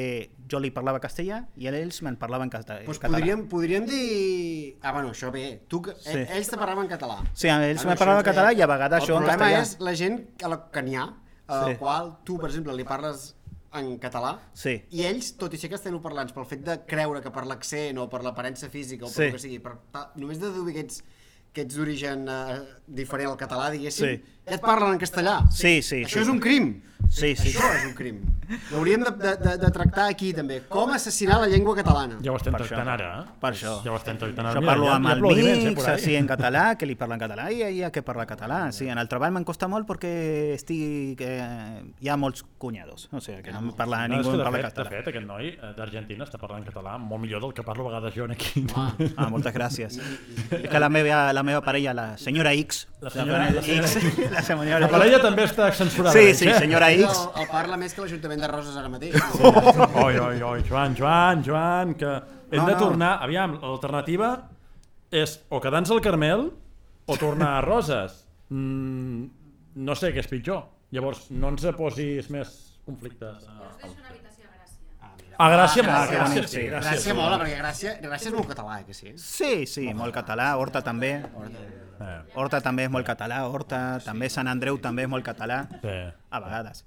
jo li parlava castellà i ells me'n parlaven cata- Pues català. podríem, podríem dir... Ah, bueno, això bé. Tu, que- Sí. Ells te parlaven català. Sí, ells Ah, me això parlaven és català bé. i a vegades jo en El problema castellà. és la gent que, la, que n'hi ha, a la Sí. qual tu, per exemple, li parles en català, Sí. i ells, tot i ser castellanoparlants, pel fet de creure que per l'accent o per l'aparença física o per Sí. el que sigui, per, ta, només de deduir que ets, que ets d'origen eh, diferent al català, diguéssim, Sí. ja et parlen en castellà. Sí, sí, Això sí. és un crim. Sí, sí. Això és un crim. L'hauríem de, de, de, de tractar aquí, també. Com assassinar la llengua catalana. Ja ho estem Per tractant això. ara, eh? Per això. Ja ho estem tractant ara. Jo Mira, parlo hi ha- amb hi ha aplaudiments, eh, amics, por ahí. així en català, que li parlen català, i hi ha que parlar català. Sí, en el treball m'en costa molt perquè estic, eh, hi ha molts cunyados, o sigui, que no em parla, No, és ningú que em de, parla fet, de català. fet, aquest noi eh, d'Argentina està parlant català molt millor del que parlo a vegades jo aquí. Ah, moltes gràcies. És que la meva, la meva parella, la senyora X, La senyora- la senyora X, la senyora La parella també està censurada. Sí, veig, sí, eh? senyora El, X. el parla més que l'Ajuntament de Roses ara mateix. Oi, oi, oi, Joan, Joan, Joan, que hem No, de no. tornar... Aviam, l'alternativa és o quedar-nos al Carmel o tornar a Roses. Mm, no sé què és pitjor. Llavors, no ens posis més conflictes. A Gràcia, Ah, molt, que gràcies, bonic, sí, sí. gràcies. Gràcia mola, perquè Gràcia, Gràcia és molt català, eh, que sí? Sí, sí, molt català, Horta també. Eh, Horta també és molt català, Horta, també Sant Andreu també és molt català, sí. a vegades.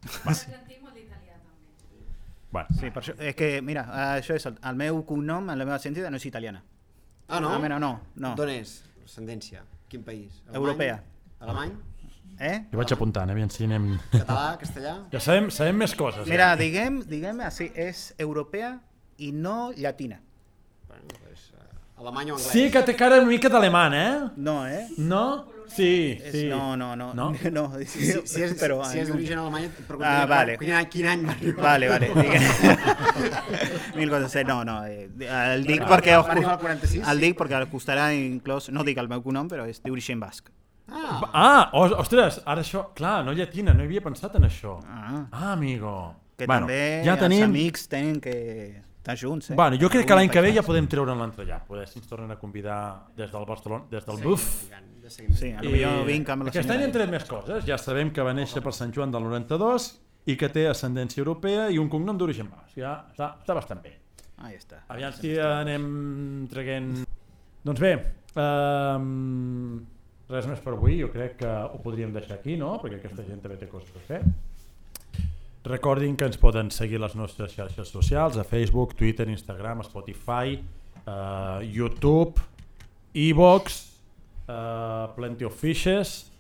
Bueno, Sí, per això, és que, mira, això és el, el meu cognom, la meva sentida no és italiana. Ah, no? Ah, mira, no, no. D'on és? Ascendència. Quin país? Alemany? Europea. Alemany? Eh? jo vaig apuntant, eh? Aviam si anem... Català? Castellà? Ja sabem, sabem més coses. Mira, diguem, diguem així, és europea i no llatina. Bueno, pues, uh, alemany o anglès? Sí que té cara una mica d'alemany, eh? No, eh? No? Sí, És, sí. no, no, no, No? no. Si, si, si és, però, si és d'origen alemany, et Ah, preguntaria vale. quin, any, quin any va arribar. Vale, vale. mil quatre-cents, no, no. eh, El dic perquè... Va arribar al quaranta-sis? El dic perquè costarà inclòs... No dic el meu cognom, però és d'origen basc. Ah, Ah, os- ostres, ara això... Clar, no llatina, no hi havia pensat en això. Ah. Ah, amigo. Que bueno, també ja els tenim... amics tenen que estar junts, eh? Bueno, jo crec que l'any que ve ja Alguns podem treure'n l'entrellat. Poder si ens tornen a convidar des del Barcelona, des del Buf. Sí, potser vinc amb la Aquest any senyora. hem tret més coses. Ja sabem que va néixer per Sant Joan del noranta-dos i que té ascendència europea i un cognom d'origen basc. Ja està, està bastant bé. Ahí està. Aviam si anem traient... Doncs bé, um, res més per avui. Jo crec que ho podríem deixar aquí, no? Perquè aquesta gent també té coses a fer. Recordin que ens poden seguir a les nostres xarxes socials, a Facebook, Twitter, Instagram, Spotify, uh, YouTube, iVox, uh, Plenty of Fishes,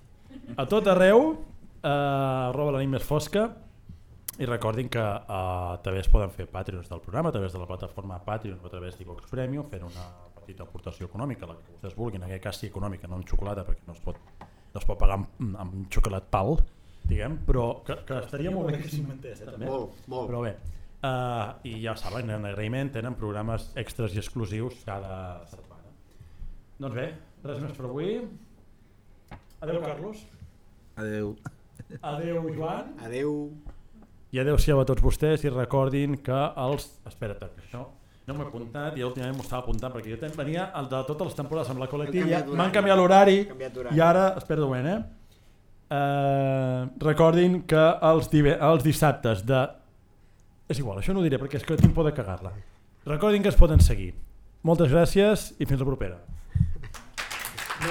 a tot arreu, uh, arroba la nit més fosca, i recordin que uh, també es poden fer Patreons del programa a través de la plataforma Patreon o a través d'iVox Premium, fent una petita aportació econòmica, la que vostès vulguin, en aquest cas sí econòmica, no en xocolata, perquè no es pot, no es pot pagar amb, amb xocolat pal, diguem, però que, que estaria molt bé que s'inventés, eh, també. molt, molt. Però bé, uh, i ja ho saben, en agraïment tenen programes extras i exclusius cada setmana. Doncs bé, res més per avui. Adéu, Carlos. Adéu. Adéu, Joan. Adéu. I adéu-siau a tots vostès i recordin que els... Espera't, que això no m'ho he apuntat i últimament m'ho estava apuntant perquè jo ten- venia el de totes les temporades amb la col·lectiva, Hem canviat m'han d'horari. canviat l'horari Hem canviat d'horari. i ara, espera un moment, eh? Uh, recordin que els, dive, els dissabtes de... És igual, això no ho diré perquè és que tinc por de cagar-la. Recordin que es poden seguir. Moltes gràcies i fins la propera. La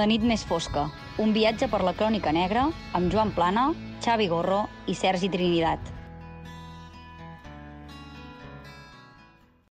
nit més fosca, un viatge per la crònica negra amb Joan Plana, Xavi Gorro i Sergi Trinidad.